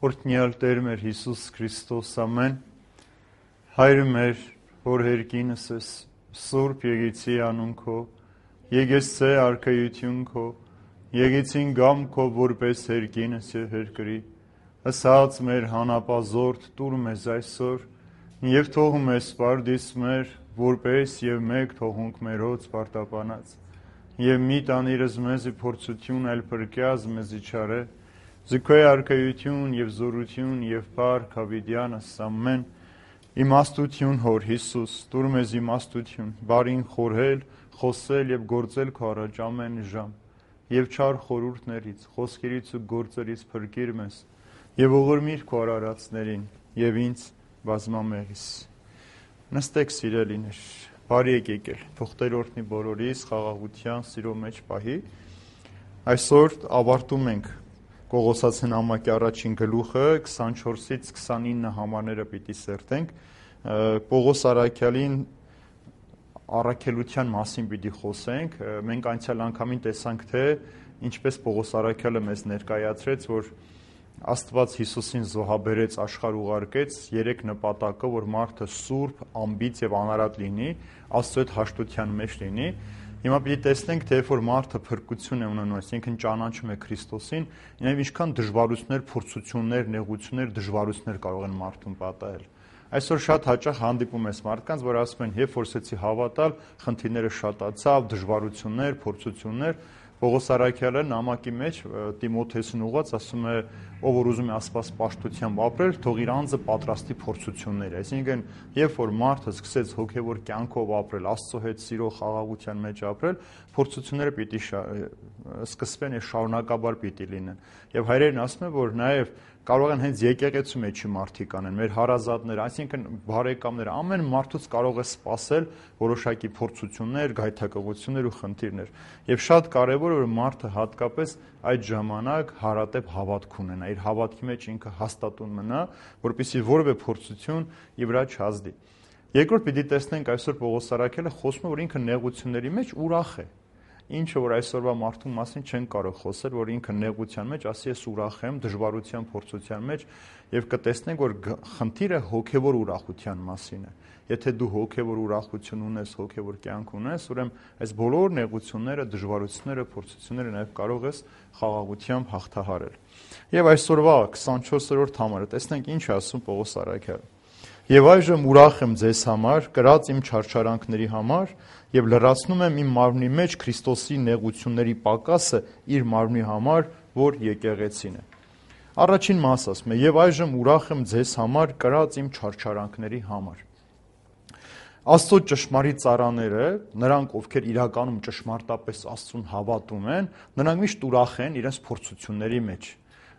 Օրհնյալ Տեր մեր Հիսուս Քրիստոս, ամեն, Հայրը մեր, որ հերկինս ես, Սուրբ եկեցի անուն քո, եկեցե արքայություն քո, եկեցին գամ քո որպես հերկինս եւ հերկրի, ասած մեր հանապազորդ տուր մեզ այսօր, եւ թողում ես պարդիս մեր, որպես եւ մեկ թողունք մերոց պարտապանած, եւ մի տանիրս մեզի փորձություն այլ փրկյազ մեզի չարե, Զիքոյ արքայություն եւ զորություն եւ փառք հավիտյանս ամեն իմաստություն հոր Հիսուս տուր մեզ իմաստություն բարին խորհել խոսել եւ գործել քո առաջ ամեն ժամ եւ չար խորհուրդներից խոսքերից ու գործերից փրկիր մեզ եւ ողորմիր քո արարածներին եւ ինձ բազմամեղիս նստեք սիրելիներ բարի եկել թող Տեր օրհնի բոլորիս խաղաղության սիրո մեջ պահի այսօր ավարտում ենք Կողոսացին ամակի առաջին գլուխը 24-ից 29 համարները պիտի սերտենք Պողոս Արաքյալին առաքելության մասին պիտի խոսենք մենք անցյալ անգամին տեսանք թե ինչպես Պողոս Արաքյալը մեզ ներկայացրեց որ Աստված Հիսուսին զոհաբերեց աշխարհ ուղարկեց երեք նպատակը որ մարդը սուրբ, ամբից եւ անարատ լինի Աստծո հետ հաշտության մեջ լինի Հիմա պիտի տեսնենք, թե որ մարդը փրկություն է ունենում, այսինքն ճանաչում է Քրիստոսին, ինքն ինչքան դժվարություններ, փորձություններ, նեղություններ, դժվարություններ կարող են մարդուն պատահել։ Այսօր շատ հաճախ հանդիպում ես մարդկանց, որ ասում են, երբ որ սկսեցի հավատալ, խնդիրները շատացավ, դժվարություններ, փորձություններ, Պողոս Արաքյալը նամակի մեջ Տիմոթեոսին ուղղած ասում է, ով որ ուզում է Աստված պաշտությամբ ապրել, թող իր անձը պատրաստի փորձություններ, այսինքն երբ որ մարդը սկսեց հոգևոր կյանքով ապրել, Աստծո հետ սիրո խաղաղության մեջ ապրել, փորձությունները պիտի սկսվեն եւ շարունակաբար պիտի լինեն։ Եվ հայրերն ասում են, որ նաեւ կարող են հենց եկեղեցու մեջի մարդիկ անեն, մեր հարազատները, այսինքն բարեկամները, ամեն մարդուց կարող է սпасել որոշակի փորձություններ, գայթակղություններ ու խնդիրներ։ Եվ շատ կարևոր է որ մարդը հատկապես այդ ժամանակ հարատև հավատք ունենա, իր հավատքի մեջ ինքը հաստատուն մնա, որպեսզի որևէ փորձություն իր վրա չազդի։ Երկրորդ պիտի տեսնենք այսօր Պողոս Արաքյալը խոսում է որ ինքը նեղությունների մեջ ուրախ է։ Ինչը որ այսօրվա մարդու մասին չեն կարող խոսել, որ ինքը նեղության մեջ ասի ես ուրախ եմ, դժվարության, փորձության մեջ եւ կտեսնենք որ խնդիրը հոգեվոր ուրախության մասին է։ Եթե դու հոգեվոր ուրախություն ունես, հոգեվոր կյանք ունես, ուրեմն այս բոլոր նեղությունները, դժվարությունները, փորձությունները նաեւ կարող ես խաղաղությամբ հաղթահարել։ Եվ այսօրվա 24-րդ համարը տեսնենք ինչ է ասում Պողոս Արաքյալը։ Եվ այժմ ուրախ եմ ձեզ համար, կրած իմ չարչարանքների համար եւ լրացնում եմ իմ մարմնի մեջ Քրիստոսի նեղությունների պակասը իր մարմնի համար, որ եկեղեցին է։ Առաջին մասը ասում է. եւ այժմ ուրախ եմ ձեզ համար, կրած իմ չարչարանքների համար։ Աստծո ճշմարիտ ծառաները, նրանք ովքեր իրականում ճշմարտապես Աստծուն հավատում են, նրանք միշտ ուրախ են իրենց փորձությունների մեջ։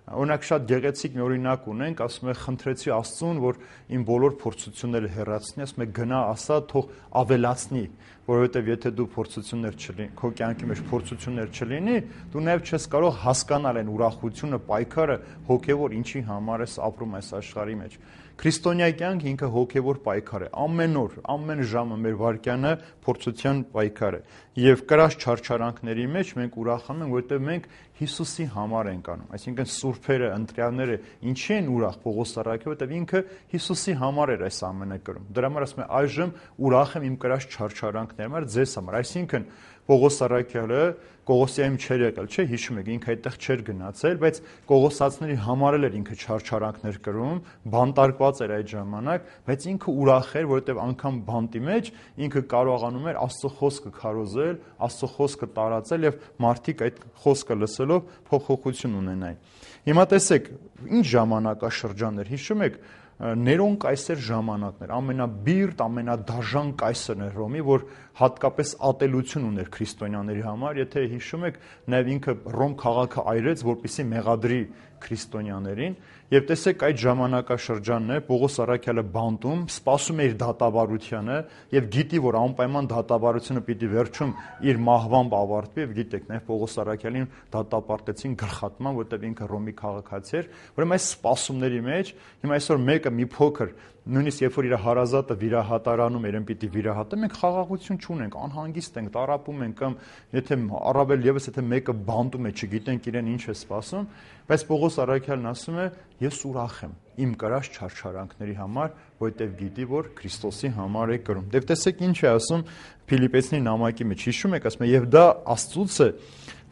Օրինակ շատ գեղեցիկ մի օրինակ ունենք, ասում է խնդրեցի Աստծուն, որ իմ բոլոր փորձությունները հեռացնի, ասում է գնա ասա, թող ավելացնի, որովհետև եթե դու փորձություններ չլինի, քո կյանքի մեջ փորձություններ չլինի, դու նաև չես կարող հասկանալ այն ուրախությունը, պայքարը հոգևոր ինչի համար ես ապրում այս աշխարհի մեջ։ Քրիստոնյա կյանքը ինքը հոգևոր պայքար է, ամեն օր, ամեն ժամը մեր վարքյանը փորձության պայքար է։ Եվ կրած չարչարանքների մեջ մենք ուրախանում ենք, որովհետև մենք Հիսուսի համար ենք անում։ Այսինքն սուրբերը, ընտրյալները ինչի են ուրախ Պողոս Արաքյալը, որովհետև ինքը Հիսուսի համար էր այս ամենը կրում։ Դրա համար ասում է այժմ ուրախ եմ իմ կրած չարչարանքների համար ձեզ համար։ Այսինքն Պողոս Արաքյալը Կողոսիայում չէր եկել, չէ, հիշում եք, ինքը այդտեղ չէր գնացել, բայց Կողոսացիների համար էլ էր ինքը չարչարանքներ կրում, բանտարկված էր այդ ժամանակ, բայց ինքը ուրախ էր, որովհետև անգամ բանտի մեջ ինքը կարողանում էր Աստծո խոսքը քարոզել, Աստծո խոսքը տարածել եւ մարդիկ այդ խոսքը լսելով փոփոխություն ունենային։ Հիմա տեսեք, ինչ ժամանակաշրջաններ, հիշում եք, Ներոն կայսեր ժամանակներ, ամենաբիրտ, ամենադաժան կայսրն էր Ռոմի, որ հատկապես ատելություն ուներ քրիստոնյաների համար, եթե հիշում եք, նաև ինքը Ռոմ քաղաքը այրեց, որպեսզի մեղադրի քրիստոնյաներին, եւ տեսեք այդ ժամանակաշրջանն է Պողոս Արաքյալը բանտում, սպասում է իր դատավարությանը եւ գիտի, որ անպայման դատավարությունը պիտի վերջում իր մահվամբ ավարտվի եւ գիտեք, նաեւ Պողոս Արաքյալին դատապարտեցին գլխատման, որտեղ ինքը Ռոմի քաղաքացի էր, ուրեմն այս սպասումների մեջ հիմա այսօր մեկը մի փոքր նույնիսկ երբ որ իր հարազատը վիրահատարանում երեն պիտի վիրահատը, մենք խաղաղություն չունենք, անհանգիստ ենք, տառապում ենք, կամ եթե առավել եւս եթե մեկը բանտում է, չգիտենք իրեն ինչ է սպասում, բայց Պողոս առաքյալն ասում է, ես ուրախ եմ իմ կրած չարչարանքների համար, որովհետև գիտի, որ Քրիստոսի համար է կրում։ Դե տեսեք ինչ է ասում Փիլիպպեցիների նամակի մեջ, հիշում եք, ասում է, եւ դա Աստծուց է,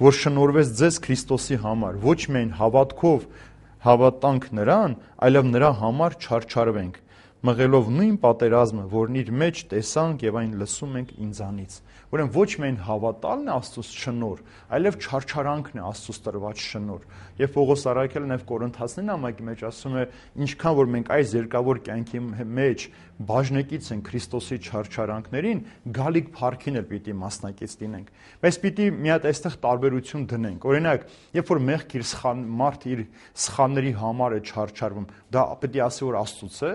որ շնորհվեց ձեզ Քրիստոսի համար, ոչ միայն հավատքով հավատանք նրան, այլև նրա համար չարչարվենք, մղելով նույն պատերազմը, որն իր մեջ տեսանք եւ այն լսում ենք ինձանից։ Ուրեմն ոչ միայն հավատալն է Աստծուց շնորհ, այլև չարչարանքն է Աստծուց տրված շնորհ։ Եվ Պողոս առաքյալը նաև Կորինթացիների նամակի մեջ ասում է, ինչքան որ մենք այս երկավոր կյանքի մեջ բաժնեկից են Քրիստոսի չարչարանքներին, գալիք փառքին էլ պիտի մասնակից լինենք։ Բայց պիտի մի հատ այստեղ տարբերություն դնենք։ Օրինակ, երբ որ մեղք իր մարդ իր սխալների համար է չարչարվում, դա պիտի ասի որ Աստծուց է։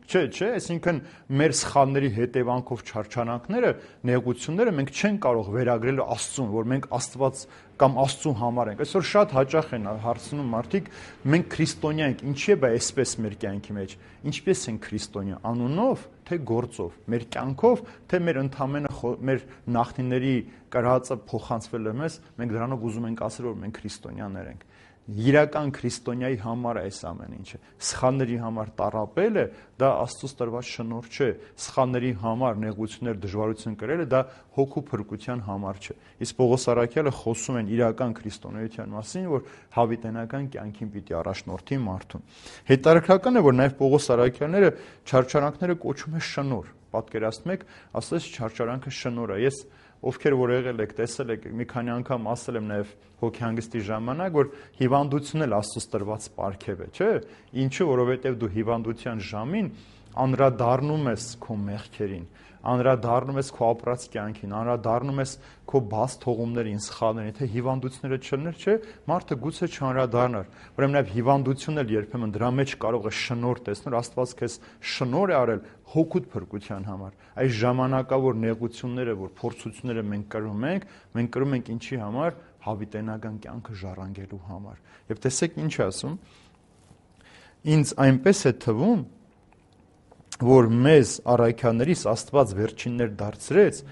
Չէ, այսինքն մեր սխալների հետևանքով չարչարանքները, նեղությունները մենք չենք կարող վերագրել Աստծուն, որ մենք Աստված կամ Աստծու համար ենք։ Այսօր շատ հաճախ են հարցնում մարդիկ, մենք քրիստոնյա ենք, ինչի է դա այսպես մեր կյանքի մեջ։ Ինչպես ենք քրիստոնյա, անունով, թե գործով, մեր կյանքով, թե մեր ընդամենը մեր նախնիների կրածը փոխանցվել է մեզ, մենք դրանով ուզում ենք ասել, որ մենք քրիստոնյաներ ենք։ Իրական քրիստոնյայի համար է այս ամեն ինչը։ Սխալների համար տառապելը դա Աստծուց տրված շնորհ չէ։ Սխալների համար նեղություններ, դժվարություն կրելը դա հոգու փրկության համար չէ։ Իսկ Պողոս առաքյալը խոսում են իրական քրիստոնեության մասին, որ հավիտենական կյանքին պիտի առաջնորդի մարդուն։ Հետարքրական է, որ նաև Պողոս առաքյալները չարչարանքները կոչում է շնորհ։ Պատկերացնում եք, ասես չարչարանքը շնորհ է։ Ես ովքեր որ եղել եք, տեսել եք, մի քանի անգամ ասել եմ նաև հոգեհանգստի ժամանակ, որ հիվանդությունն էլ Աստծուց տրված պարգև է, չէ՞։ Ինչու, որովհետև դու հիվանդության ժամին անդրադառնում ես քո մեղքերին, անդրադառնում ես քո ապրած կյանքին, անդրադառնում ես քո բաց թողումներին, սխալներին, թե հիվանդությունները չլներ, չէ, մարդը գուցե չանդրադառնար։ Ուրեմն նաև հիվանդությունն էլ երբեմն դրա մեջ կարող է շնորհ տեսնել, Աստված քեզ շնորհ է արել հոգուտ փրկության համար։ Այս ժամանակավոր նեղությունները, որ փորձությունները մենք կրում ենք ինչի համար, հավիտենական կյանքը ժառանգելու համար։ Եվ տեսեք ինչ ասում, ինձ այնպես է թվում, որ մեզ առաքյալներիս Աստված վերջիններ դարձրեց,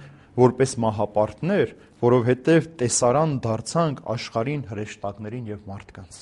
որպես մահապարտներ, որովհետև տեսարան դարձանք աշխարհին, հրեշտակներին եւ մարդկանց։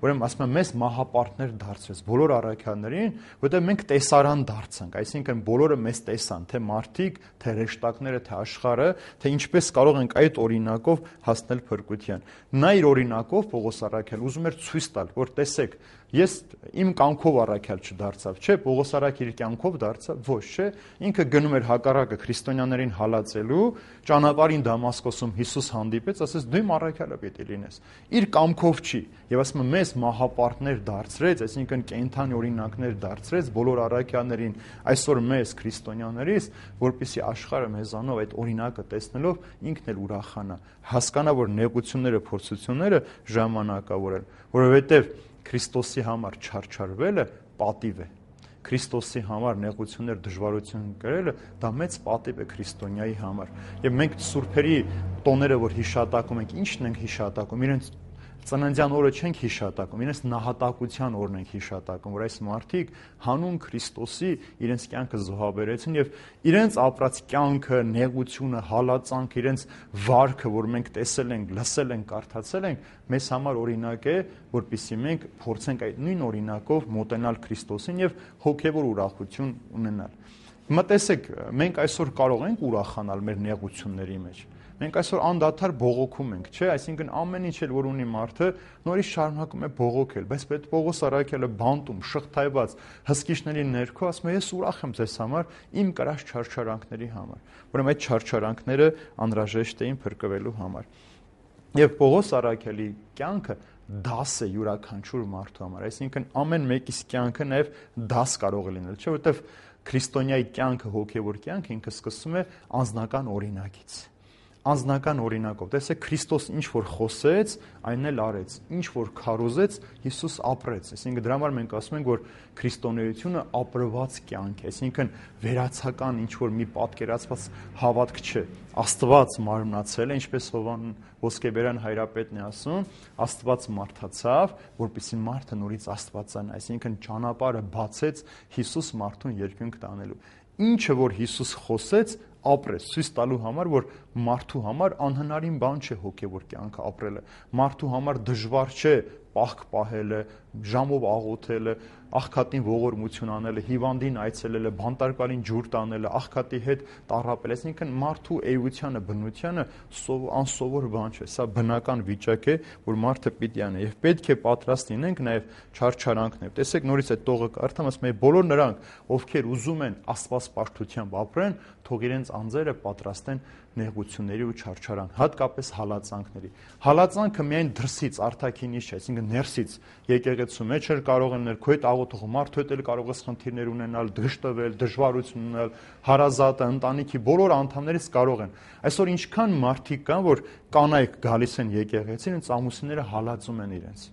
Ուրեմն ասում եմ, մեզ մահապարտներ դարձրեց բոլոր առաքյալներին, որտեղ մենք տեսարան դարձանք, այսինքն բոլորը մեզ տեսան, թե մարդիկ, թե հրեշտակները, թե աշխարհը, թե ինչպես կարող ենք այդ օրինակով հասնել փրկության։ Նա իր օրինակով Պողոս առաքյալ ուզում էր ցույց տալ, որ տեսեք, ես իմ կյանքով առաքյալ չդարձավ, չէ, Պողոս առաքյալ իր կյանքով դարձավ, ոչ, չէ, ինքը գնում էր հակառակը քրիստոնյաներին հալածելու, ճանապարհին Դամասկոսում Հիսուս հանդիպեց, ասեց դու իմ առաքյալը պիտի լինես։ Իր կամքով չի, եւ ասում եմ, մեզ մահապարտներ դարձրեց, այսինքն կենդանի օրինակներ դարձրեց բոլոր առաքյալներին, այսօր մեզ քրիստոնյաներից, որպեսզի աշխարհը մեզանով այդ օրինակը տեսնելով ինքն էլ ուրախանա, հասկանա, որ նեղությունները, փորձությունները ժամանակավոր են, որովհետեւ Քրիստոսի համար չարչարվելը պատիվ է։ Քրիստոսի համար նեղություններ, դժվարություն կրելը դա մեծ պատիվ է քրիստոնյայի համար։ Եվ մենք սուրբերի տոները, որ հիշատակում ենք, ի՞նչն ենք հիշատակում, իրենց ծննդյան օրը չենք հիշատակում, իրենց նահատակության օրն ենք հիշատակում, որ այս մարդիկ հանուն Քրիստոսի իրենց կյանքը զոհաբերեցին եւ իրենց ապրած կյանքը, նեղությունը, հալածանքը, իրենց վարքը, որ մենք տեսել ենք, լսել ենք, կարդացել ենք, մեզ համար օրինակ է, որպեսզի մենք փորձենք այդ նույն օրինակով մոտենալ Քրիստոսին եւ հոգեվոր ուրախություն ունենալ։ Հիմա տեսեք, մենք այսօր կարող ենք ուրախանալ մեր նեղությունների մեջ։ Մենք այսօր անդադար բողոքում ենք, չէ՞, այսինքն ամեն ինչ էլ որ ունի մարդը, նորից շարունակում է բողոքել, բայց պետք Պողոս առաքյալը բանտում, շղթայված, հսկիչների ներքո ասում է, ես ուրախ եմ ձեզ համար, իմ կրած չարչարանքների համար։ Ուրեմն այդ չարչարանքները անհրաժեշտ էին փրկվելու համար։ Եվ Պողոս առաքյալի կյանքը դաս է յուրաքանչյուր մարդու համար, այսինքն ամեն մեկիս կյանքը նաև դաս կարող է լինել, չէ՞, որովհետև քրիստոնյայի կյանքը, հոգևոր կյանքը ինքը սկսում է անձնական օրինակից։ անձնական օրինակով։ Տեսեք, Քրիստոս ինչ որ խոսեց, այնն էլ արեց։ Ինչ որ քարոզեց, Հիսուս ապրեց։ Այսինքն դրա համար մենք ասում ենք, որ քրիստոնեությունը ապրված կյանք է, այսինքն վերացական ինչ որ մի պատկերացված հավատք չէ։ Աստված մարմնացել է, ինչպես Հովան Ոսկեբերյան հայրապետն է ասում, Աստված մարդացավ, որպեսզի մարդը նորից աստվածանա, այսինքն ճանապարհը բացեց Հիսուս մարդուն երկինք տանելու։ Ինչը որ Հիսուս խոսեց, ապրեց, ցույց տալու համար, որ մարդու համար անհնարին բան չէ հոգևոր կյանքը ապրելը։ Մարդու համար դժվար չէ պահք պահելը, ժամով աղոթելը, աղքատին ողորմություն անելը, հիվանդին այցելելը, բանտարկալին ջուր տանելը, աղքատի հետ տառապելը, այսինքն մարդու էությանը, բնությանը անսովոր բան չէ։ Սա բնական վիճակ է, որ մարդը պիտի անի եւ պետք է պատրաստ լինենք նաեւ չարչարանքներ։ Տեսեք, նորից այդ տողը կարդամ, ասում է բոլոր նրանք, ովքեր ուզում են աստվածպաշտությամբ ապրեն, թող իրենց անձերը պատրաստեն նեղությունների ու չարչարանք, հատկապես հալածանքների։ Հալածանքը միայն դրսից, արտաքինից չէ, այսինքն ներսից եկեղեցու մեջ էլ կարող են քո հետ աղոթող մարդու հետ էլ կարող ես խնդիրներ ունենալ, դժտվել, դժվարություն ունենալ, հարազատը, ընտանիքի բոլոր անդամներից կարող են։ Այսօր ինչքան մարդիկ կան, որ կանայք գալիս են եկեղեցին, ինձ ամուսինները հալածում են իրենց,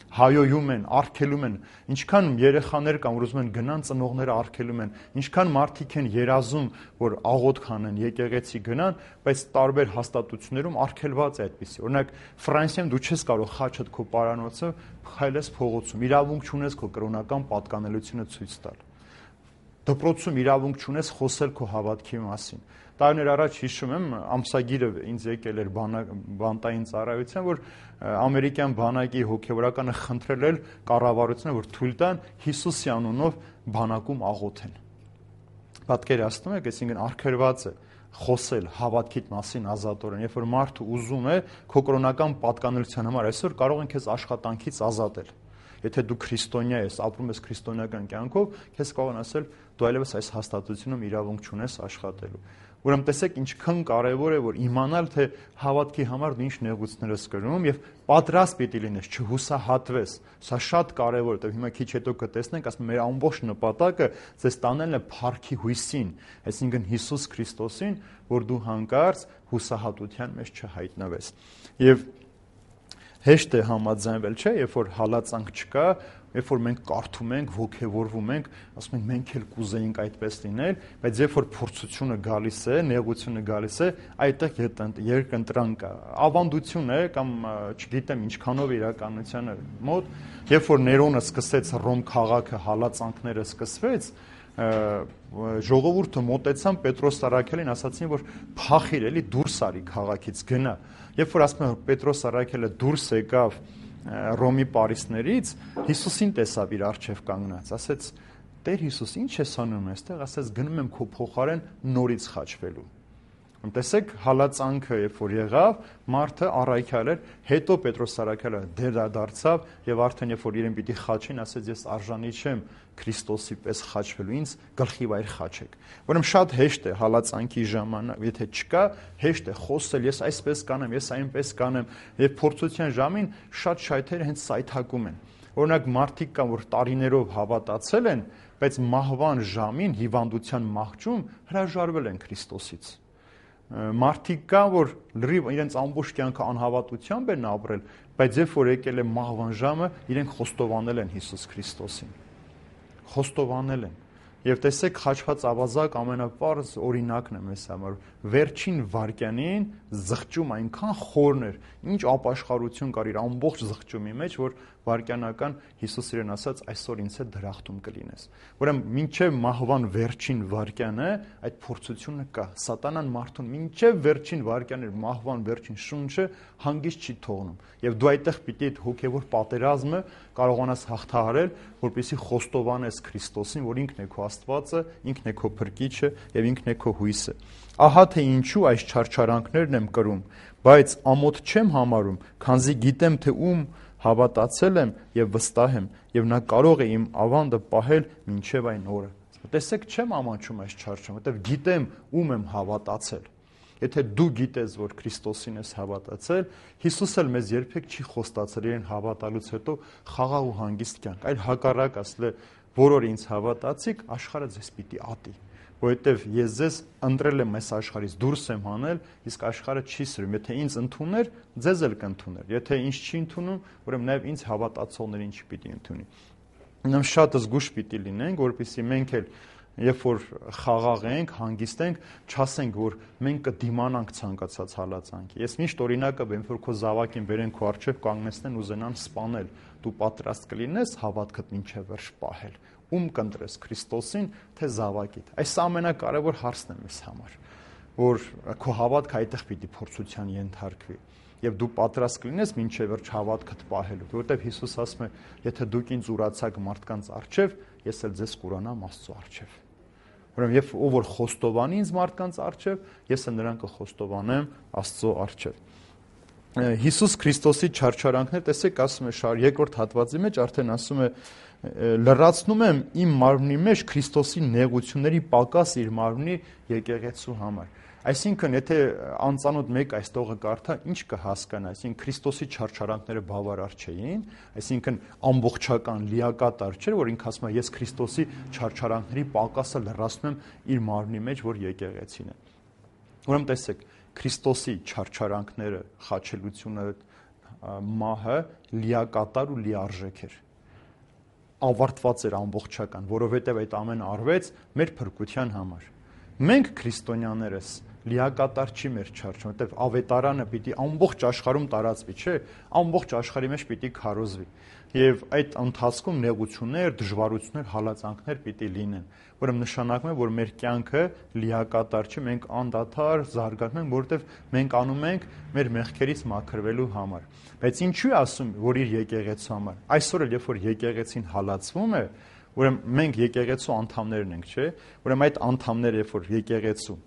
հայոյում են, արգելում են, ինչքան երեխաներ կան, որ ուզում են գնան, ծնողները արգելում են, ինչքան մարդիկ են երազում, որ աղոթք անեն, եկեղեցի գնան, բայց տարբեր հաստատություններում արգելված է այդպիսի։ Օրինակ Ֆրանսիայում դու չես կարող խաչդ քո պարանոցը քայլես փողոցում, իրավունք չունես քո կրոնական պատկանելությունը ցույց տալ։ Դպրոցում իրավունք չունես խոսել քո հավատքի մասին։ Տարիներ առաջ հիշում եմ, ամսագիրը ինձ եկել էր բանտային ծառայության, որ ամերիկյան բանակի հոգևորականը խնդրել էր կառավարությունը, որ թույլ տան Հիսուսի անունով բանակում աղոթեն։ Պատկերացնում եք, այսինքն արգելված է խոսել հավատքիդ մասին ազատորեն, երբ որ մարդը ուզում է քո կրոնական պատկանելության համար, այսօր կարող են քեզ աշխատանքից ազատել։ Եթե դու քրիստոնյա ես, ապրում ես քրիստոնեական կյանքով, քեզ կարող են ասել դու այլևս այս հաստատությունում իրավունք չունես աշխատելու։ Ուրեմն տեսեք ինչքան կարևոր է որ իմանալ թե հավատքի համար դու ինչ նեղություններ ես կրում եւ պատրաստ պիտի լինես, չհուսահատվես։ Սա շատ կարևոր է, հիմա քիչ հետո կտեսնենք, ասում մեր ամբողջ նպատակը ձեզ տանելն է փառքի հույսին, այսինքն Հիսուս Քրիստոսին, որ դու հանկարծ հուսահատության մեջ չհայտնվես։ Եվ հեշտ է համաձայնվել, չէ, երբ որ հալածանք չկա, երբ որ մենք կարդում ենք, ոգևորվում ենք, ասում ենք մենք էլ կուզեինք այդպես լինել, բայց երբ որ փորձությունը գալիս է, նեղությունը գալիս է, այդտեղ երկընտրանք կա, ավանդություն է կամ չգիտեմ ինչքանով իրականությանը մոտ, երբ որ Ներոնը սկսեց Ռոմ քաղաքը հալածանքները սկսվեց, ժողովուրդը մոտեցան Պետրոս Սարաքելին, ասացին, որ փախիր էլի դուրս արի քաղաքից գնա։ Երբ որ ասում են Պետրոս Սարաքելը դուրս եկավ Ռոմի պարիսներից, Հիսուսին տեսավ իր առջև կանգնած, ասեց. Տեր Հիսուս, ինչ ես անում այստեղ, ասեց գնում եմ քո փոխարեն նորից խաչվելու։ Տեսեք, հալածանքը երբ որ եղավ, մարդը առայքյալ էր, հետո Պետրոս Սարաքելը դարձավ եւ արդեն երբ որ իրեն պիտի խաչին, ասեց ես արժանի չեմ Քրիստոսի պես խաչվելու, ինձ գլխի վայր խաչեք։ Ուրեմն շատ հեշտ է հալածանքի ժամանակ, եթե չկա, հեշտ է խոսել, ես այսպես կանեմ, ես այնպես կանեմ, եւ փորձության ժամին շատ շայթերը հենց սայթակում են։ Օրինակ մարդիկ կան, որ տարիներով հավատացել են, բայց մահվան ժամին հիվանդության մահճում հրաժարվել են Քրիստոսից։ Մարդիկ կան, որ լրիվ իրենց ամբողջ կյանքը անհավատությամբ են ապրել, բայց երբ որ եկել է մահվան ժամը, իրենք խոստովանել են Հիսուս Քրիստոսին։ Խոստովանել են։ Եվ տեսեք, խաչված ավազակ ամենապարզ օրինակն է մեզ համար։ Վերջին վայրկյանին զղջում այնքան խորն էր, ինչ ապաշխարություն կար իր ամբողջ զղջումի մեջ, որ վայրկյանական Հիսուս իրեն ասաց, այսօր ինձ հետ դրախտում կլինես։ Ուրեմն մինչև մահվան վերջին վայրկյանը այդ փորձությունը կա։ Սատանան մարդուն մինչև վերջին վայրկյանը մահվան վերջին շունչը հանգիստ չի թողնում։ Եվ դու այդտեղ պիտի այդ հոգևոր պատերազմը կարողանաս հաղթահարել, որպեսզի խոստովանես Քրիստոսին, որ ինքն է քո Աստվածը, ինքն է քո Փրկիչը եւ ինքն է քո հույսը։ Ահա թե ինչու այս չարչարանքներն եմ կրում, բայց ամոթ չեմ համարում, քանզի գիտեմ թե ում հավատացել եմ եւ վստահ եմ, եւ նա կարող է իմ ավանդը պահել մինչեւ այն օրը։ Տեսեք, չեմ ամաչում այս չարչարան, որովհետեւ գիտեմ ում եմ հավատացել։ Եթե դու գիտես, որ Քրիստոսին ես հավատացել, Հիսուսը մեզ երբեք չի խոստացել իրեն հավատալուց հետո խաղաղ ու հանգիստ կյանք, այլ հակառակ ասել է, որոր ինձ հավատացիք, աշխարհը ձեզ պիտի ատի։ որովհետև ես ձեզ ընտրել եմ այս աշխարհից, դուրս եմ հանել, իսկ աշխարհը չի սիրում։ Եթե ինձ ընդուներ, ձեզ էլ կընդուներ։ Եթե ինձ չի ընդունում, ուրեմն նաև ինձ հավատացողներին չպիտի ընդունի։ Ուրեմն շատ զգուշ պիտի լինենք, որպեսզի մենք էլ երբ որ խաղաղ ենք, հանգիստ ենք, չասենք, որ մենք կդիմանանք ցանկացած հալածանքի։ Ես միշտ օրինակը բերեմ, որ քո զավակին բերեն քո առջև կանգնեցնեն ուզենան սպանել, դու պատրաստ կլինես հավատքդ մինչև վերջ պահել։ Ում կընտրես, Քրիստոսին, թե զավակիդ։ Այս ամենակարևոր հարցն է մեզ համար, որ քո հավատքը այդտեղ պիտի փորձության ենթարկվի։ Եվ դու պատրաստ կլինես մինչև վերջ հավատքդ պահելու, որովհետև Հիսուս ասում է, եթե դուք ինձ ուրացաք մարդկանց առջև, ես էլ ձեզ կուրանամ Աստծո առջև։ Ուրեմն երբ ով որ խոստովանի ինձ մարդկանց առջև, ես էլ նրան կխոստովանեմ Աստծո առջև։ Հիսուս Քրիստոսի չարչարանքներ, տեսեք, ասում է երկրորդ հատվածի մեջ արդեն ասում է լրացնում եմ իմ մարմնի մեջ Քրիստոսի նեղությունների պակաս իր մարմնի եկեղեցու համար։ Այսինքն, եթե անծանոթ մեկ այս տողը կարդա, ինչ կհասկանա, այսինքն Քրիստոսի չարչարանքները բավարար չէին, այսինքն ամբողջական լիակատար չէր, որ ինքը ասում է ես Քրիստոսի չարչարանքների պակասը լրացնում եմ իր մարմնի մեջ, որ եկեղեցին է։ Ուրեմն տեսեք, Քրիստոսի չարչարանքները, խաչելությունը, մահը լիակատար ու լիարժեք էր։ Ավարտված էր ամբողջական, որովհետև այդ ամենը արվեց մեր փրկության համար։ Մենք քրիստոնյաներս լիակատար չի մեր չարչը, որովհետև ավետարանը պիտի ամբողջ աշխարհում տարածվի, չէ՞, ամբողջ աշխարհի մեջ պիտի քարոզվի։ Եվ այդ ընթացքում նեղություններ, դժվարություններ, հալածանքներ պիտի լինեն, որը նշանակում է, որ մեր կյանքը լիակատար չի, մենք անդադար զարգանում ենք, որովհետև մենք անում ենք մեր մեղքերից մաքրվելու համար։ Բայց ինչու է ասում, որ իր եկեղեցու համար։ Այսօր էլ երբ որ եկեղեցին հալածվում է, ուրեմն մենք եկեղեցու անդամներն ենք, չէ՞։ Ուրեմն այդ անդամները, երբ որ եկեղեցու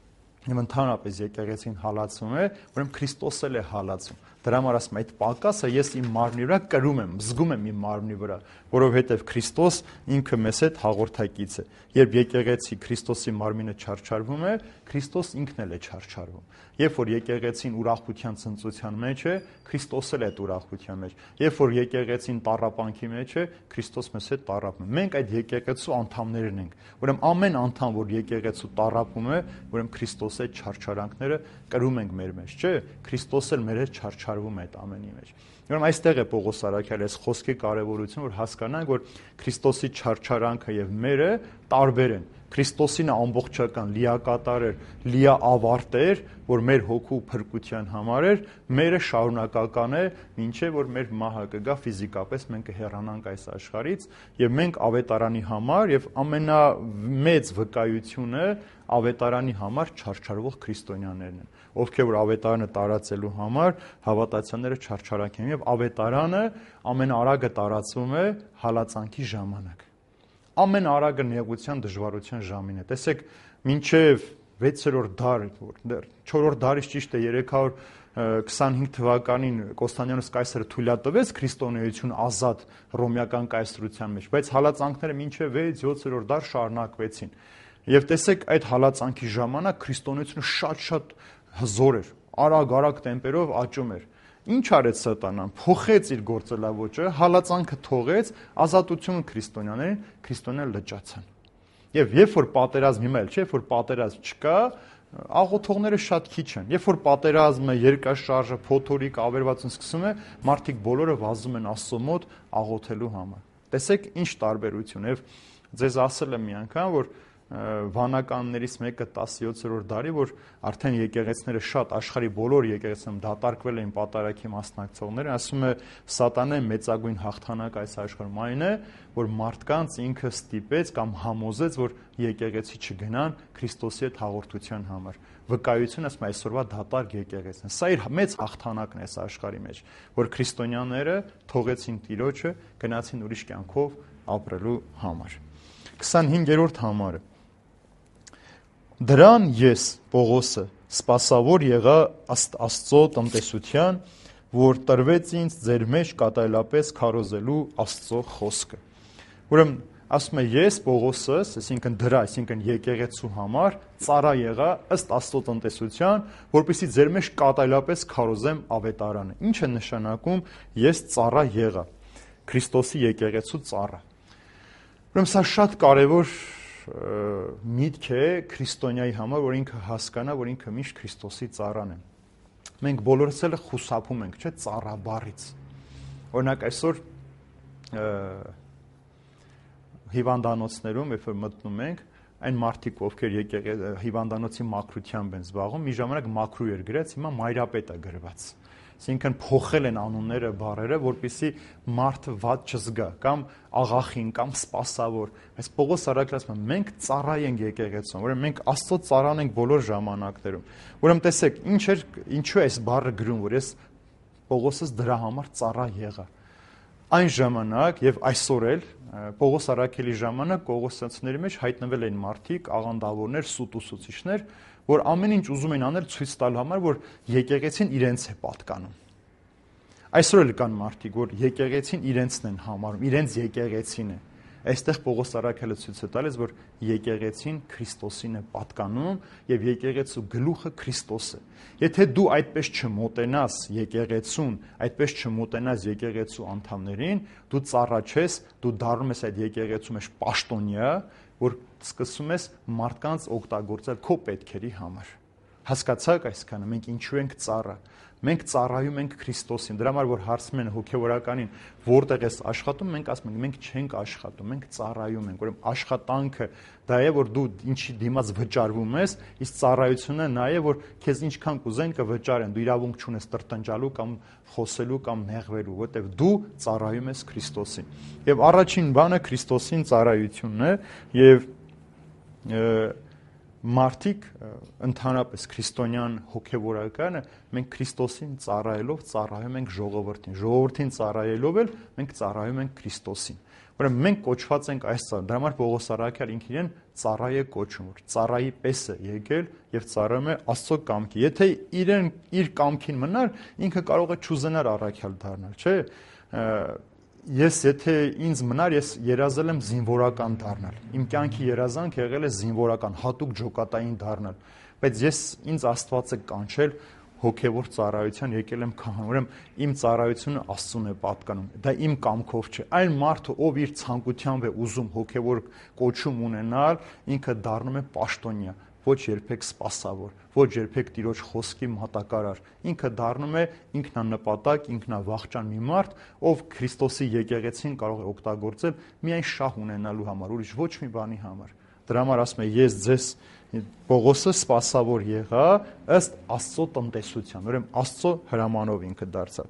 Եվ ընդհանրապես եկեղեցին հալածում է, ուրեմն Քրիստոս էլ է հալածում։ Դրա համար ասում այդ պակասը ես իմ մարմնի վրա կրում եմ, զգում եմ իմ մարմնի վրա, որովհետև Քրիստոս ինքը մեզ հետ հաղորդակից է։ Երբ եկեղեցի Քրիստոսի մարմինը չարչարվում է, Քրիստոս ինքն էլ է չարչարվում։ Երբ որ եկեղեցին ուրախության ցնծության մեջ է, Քրիստոս էլ է այդ ուրախության մեջ։ Երբ որ եկեղեցին տառապանքի մեջ է, Քրիստոս մեզ հետ տառապում է։ Մենք այդ եկեղեցու անդամներն ենք։ Ուրեմն ամեն անդամ, որ եկեղեցու տառապում է, ուրեմն Քրիստոսի այդ չարչարանքները կրում ենք մեր մեջ, չէ՞։ Քրիստոս էլ մեր հետ չարչարվում է այդ ամենի մեջ։ Ուրեմն այստեղ է Պողոս առաքյալի այս խոսքի կարևորությունը, որ հասկանանք, որ Քրիստոսի չարչարանքը եւ մերը տարբեր են։ Քրիստոսինը ամբողջական, լիակատար էր, լիաավարտ էր, որ մեր հոգու փրկության համար էր, մերը շարունակական է, ինչեւ որ մեր մահը կգա ֆիզիկապես, մենք կհեռանանք այս աշխարհից եւ մենք ավետարանի համար եւ ամենամեծ վկայությունը ավետարանի համար չարչարվող քրիստոնյաներն են, ովքեր որ ավետարանը տարածելու համար հավատացյալները չարչարանք են եւ ավետարանը ամենաարագը տարածվում է հալածանքի ժամանակ։ Ամենաարագը նեղության դժվարության ժամին է։ Տեսեք, մինչև 6-րդ դար, 4-րդ դարից ճիշտ է 325 թվականին Կոստանդինոս կայսրը թույլատվեց քրիստոնեություն ազատ ռոմեական կայսրության մեջ, բայց հալածանքները մինչև 6-7-րդ դար շարունակվեցին։ Եվ տեսեք, այդ հալածանքի ժամանակ քրիստոնեությունը շատ հզոր էր, արագ տեմպերով աճում էր։ Ինչ արեց սատանան, փոխեց իր գործելավոճը, հալածանքը թողեց, ազատությունը քրիստոնյաները լճացան։ Եվ երբ որ պատերազմ հիմա էլ չէ, երբ որ պատերազմ չկա, աղոթողները շատ քիչ են։ Երբ որ պատերազմը, երկրաշարժը, փոթորիկ, ավերվածություն սկսում է, մարդիկ բոլորը վազում են Աստծո մոտ աղոթելու համար։ Տեսեք ինչ տարբերություն է։ Եվ ձեզ ասել եմ մի անգամ, որ վանականներից մեկը 17-րդ դարի, որ արդեն եկեղեցիները շատ աշխարհի բոլոր եկեղեցիներում դատարկվել էին պատարագի մասնակցողները, ասում է սատանայի մեծագույն հաղթանակը այս աշխարհում այն է, որ մարդկանց ինքը ստիպեց կամ համոզեց, որ եկեղեցի չգնան Քրիստոսի հետ հաղորդության համար։ Վկայությունը ասում է այսօրվա դատարկ եկեղեցին։ Սա իր մեծ հաղթանակն է այս աշխարհի մեջ, որ քրիստոնյաները թողեցին Տիրոջը, գնացին ուրիշ կյանքով ապրելու համար։ 25-րդ համարը Դրան ես, Պողոսը, սպասավոր եղա Աստծո տնտեսության, որ տրվեց ինձ ձեր մեջ կատարելապես քարոզելու Աստծո խոսքը։ Ուրեմն ասում է ես, Պողոսս, այսինքն դրա, այսինքն եկեղեցու համար ծառա եղա ըստ Աստծո տնտեսության, որպեսզի ձեր մեջ կատարելապես քարոզեմ ավետարանը։ Ինչ է նշանակում ես ծառա եղա, Քրիստոսի եկեղեցու ծառա։ Ուրեմն սա շատ կարևոր միտք է քրիստոնյայի համար, որ ինքը հասկանա, որ ինքը միշտ Քրիստոսի ծառան է։ Մենք բոլորս էլ խուսափում ենք, չէ՞, ծառաբառից։ Օրինակ այսօր հիվանդանոցներում, երբ որ մտնում ենք, այն մարդիկ, ովքեր հիվանդանոցի մաքրությամբ են զբաղվում, մի ժամանակ մաքրու էր գրած, հիմա մայրապետ է գրված։ Այսինքն փոխել են անունները, բառերը, որպեսզի մարդը վատ չզգա, կամ աղախին, կամ սպասավոր։ Այս Պողոս Արաքելը ասում է, մենք ծառա ենք եկեղեցում, ուրեմն մենք Աստծո ծառան ենք բոլոր ժամանակներում։ Ուրեմն տեսեք, ինչու է այս բառը գրում, որ ես Պողոսս դրա համար ծառա եղա։ Այն ժամանակ եւ այսօր էլ Պողոս Արաքելի ժամանակ Կողոսացիների մեջ հայտնվել են մարդիկ, աղանդավորներ, սուտուսուցիչներ, որ ամեն ինչ ուզում են անել ցույց տալ համար, որ եկեղեցին իրենց է պատկանում։ Այսօր էլ կան մարդիկ, որ եկեղեցին իրենցն են համարում, իրենց եկեղեցին է։ Այստեղ Պողոս Արաքելը ցույց է տալիս, որ եկեղեցին Քրիստոսին է պատկանում եւ եկեղեցու գլուխը Քրիստոս է։ Եթե դու այդպես չմոտենաս եկեղեցուն, այդպես չմոտենաս եկեղեցու անդամներին, դու ծառա չես, դու դառնում ես այդ եկեղեցու մեջ պաշտոնյա, որ սկսում ես մարդկանց օգտագործել քո պետքերի համար։ Հասկացաք այսքանը, մենք ինչու ենք ծառա։ Մենք ծառայում ենք Քրիստոսին։ Դրա համար որ հարցում են հոգևորականին, որտեղ ես աշխատում, մենք ասում ենք, մենք չենք աշխատում, մենք ծառայում ենք։ Ուրեմն աշխատանքը դա է, որ դու ինչի դիմաց վճարվում ես, իսկ ծառայությունը նա է, որ քեզ ինչքան կուզեն կվճարեն։ Դու իրավունք չունես տրտնջալու կամ խոսելու կամ նեղվելու, որտեղ դու ծառայում ես Քրիստոսին։ Եվ առաջին բանը Քրիստոսին ծառայությունն է, եւ մարդիկ ընդհանրապես քրիստոնյան հոգևորականը մենք Քրիստոսին ծառայելով ծառայում ենք ժողովրդին ծառայելով էլ մենք ծառայում ենք Քրիստոսին։ Ուրեմն մենք կոչված ենք այս ծառա։ Դրա համար Պողոս Արաքյալը ինքն իրեն ծառա է կոչում, որ ծառայի պես է եկել եւ ծառայում է Աստծո կամքի։ Եթե իրեն իր կամքին մնար, ինքը կարող է չուզենար առաքյալ դառնալ, չէ՞։ Ես եթե ինձ մնար, ես երազել եմ զինվորական դառնալ։ Իմ կյանքի երազանք եղել է զինվորական, հատուկ ջոկատային դառնալ։ Բայց ինձ Աստված է կանչել հոգևոր ծառայության, եկել եմ քահան, ուրեմն իմ ծառայությունը Աստծուն է պատկանում։ Դա իմ կամքով չէ։ Այն մարդը, ով իր ցանկությամբ է ուզում հոգևոր կոչում ունենալ, ինքը դառնում է պաշտոնյա, ոչ երբեք սպասավոր, ոչ երբեք Տիրոջ խոսքի մատակարար։ Ինքը դառնում է ինքնանպատակ, ինքնավախճան մի մարդ, ով Քրիստոսի եկեղեցին կարող է օգտագործել միայն շահ ունենալու համար, ուրիշ ոչ մի բանի համար։ Դրա համար ասում է, ես ձեզ Պողոսը սպասավոր եղա ըստ Աստծո տնտեսության, ուրեմն Աստծո հրամանով ինքը դարձավ։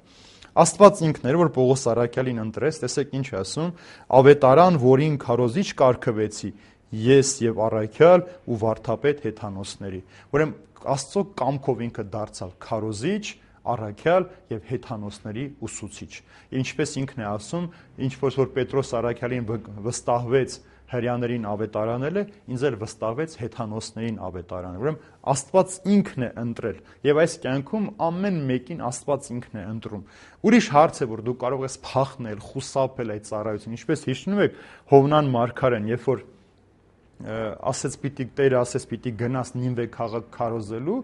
Աստված ինքն էր, որ Պողոս Արաքյալին ընտրեց, տեսեք ինչ է ասում, ավետարան, որին քարոզիչ կարգվեցի, ես եւ Արաքյալ ու վարդապետ հեթանոսների։ Ուրեմն Աստծո կամքով ինքը դարձավ քարոզիչ, Արաքյալ եւ հեթանոսների ուսուցիչ։ Ինչպես ինքն է ասում, ինչ որ Պետրոս Արաքյալին վստահվեց հրյաներին ավետարանել է, ինձ էլ վստահվեց հեթանոսներին ավետարանել։ Ուրեմն Աստված ինքն է ընտրել եւ այս կյանքում ամեն մեկին Աստված ինքն է ընտրում։ Ուրիշ հարց է, որ դու կարող ես փախնել, խուսափել այդ ծառայությունից, ինչպես հիշում եք Հովնան մարգարեն, երբ որ ասեց Տերը ասեց պիտի գնաս Նինվե քաղաք քարոզելու,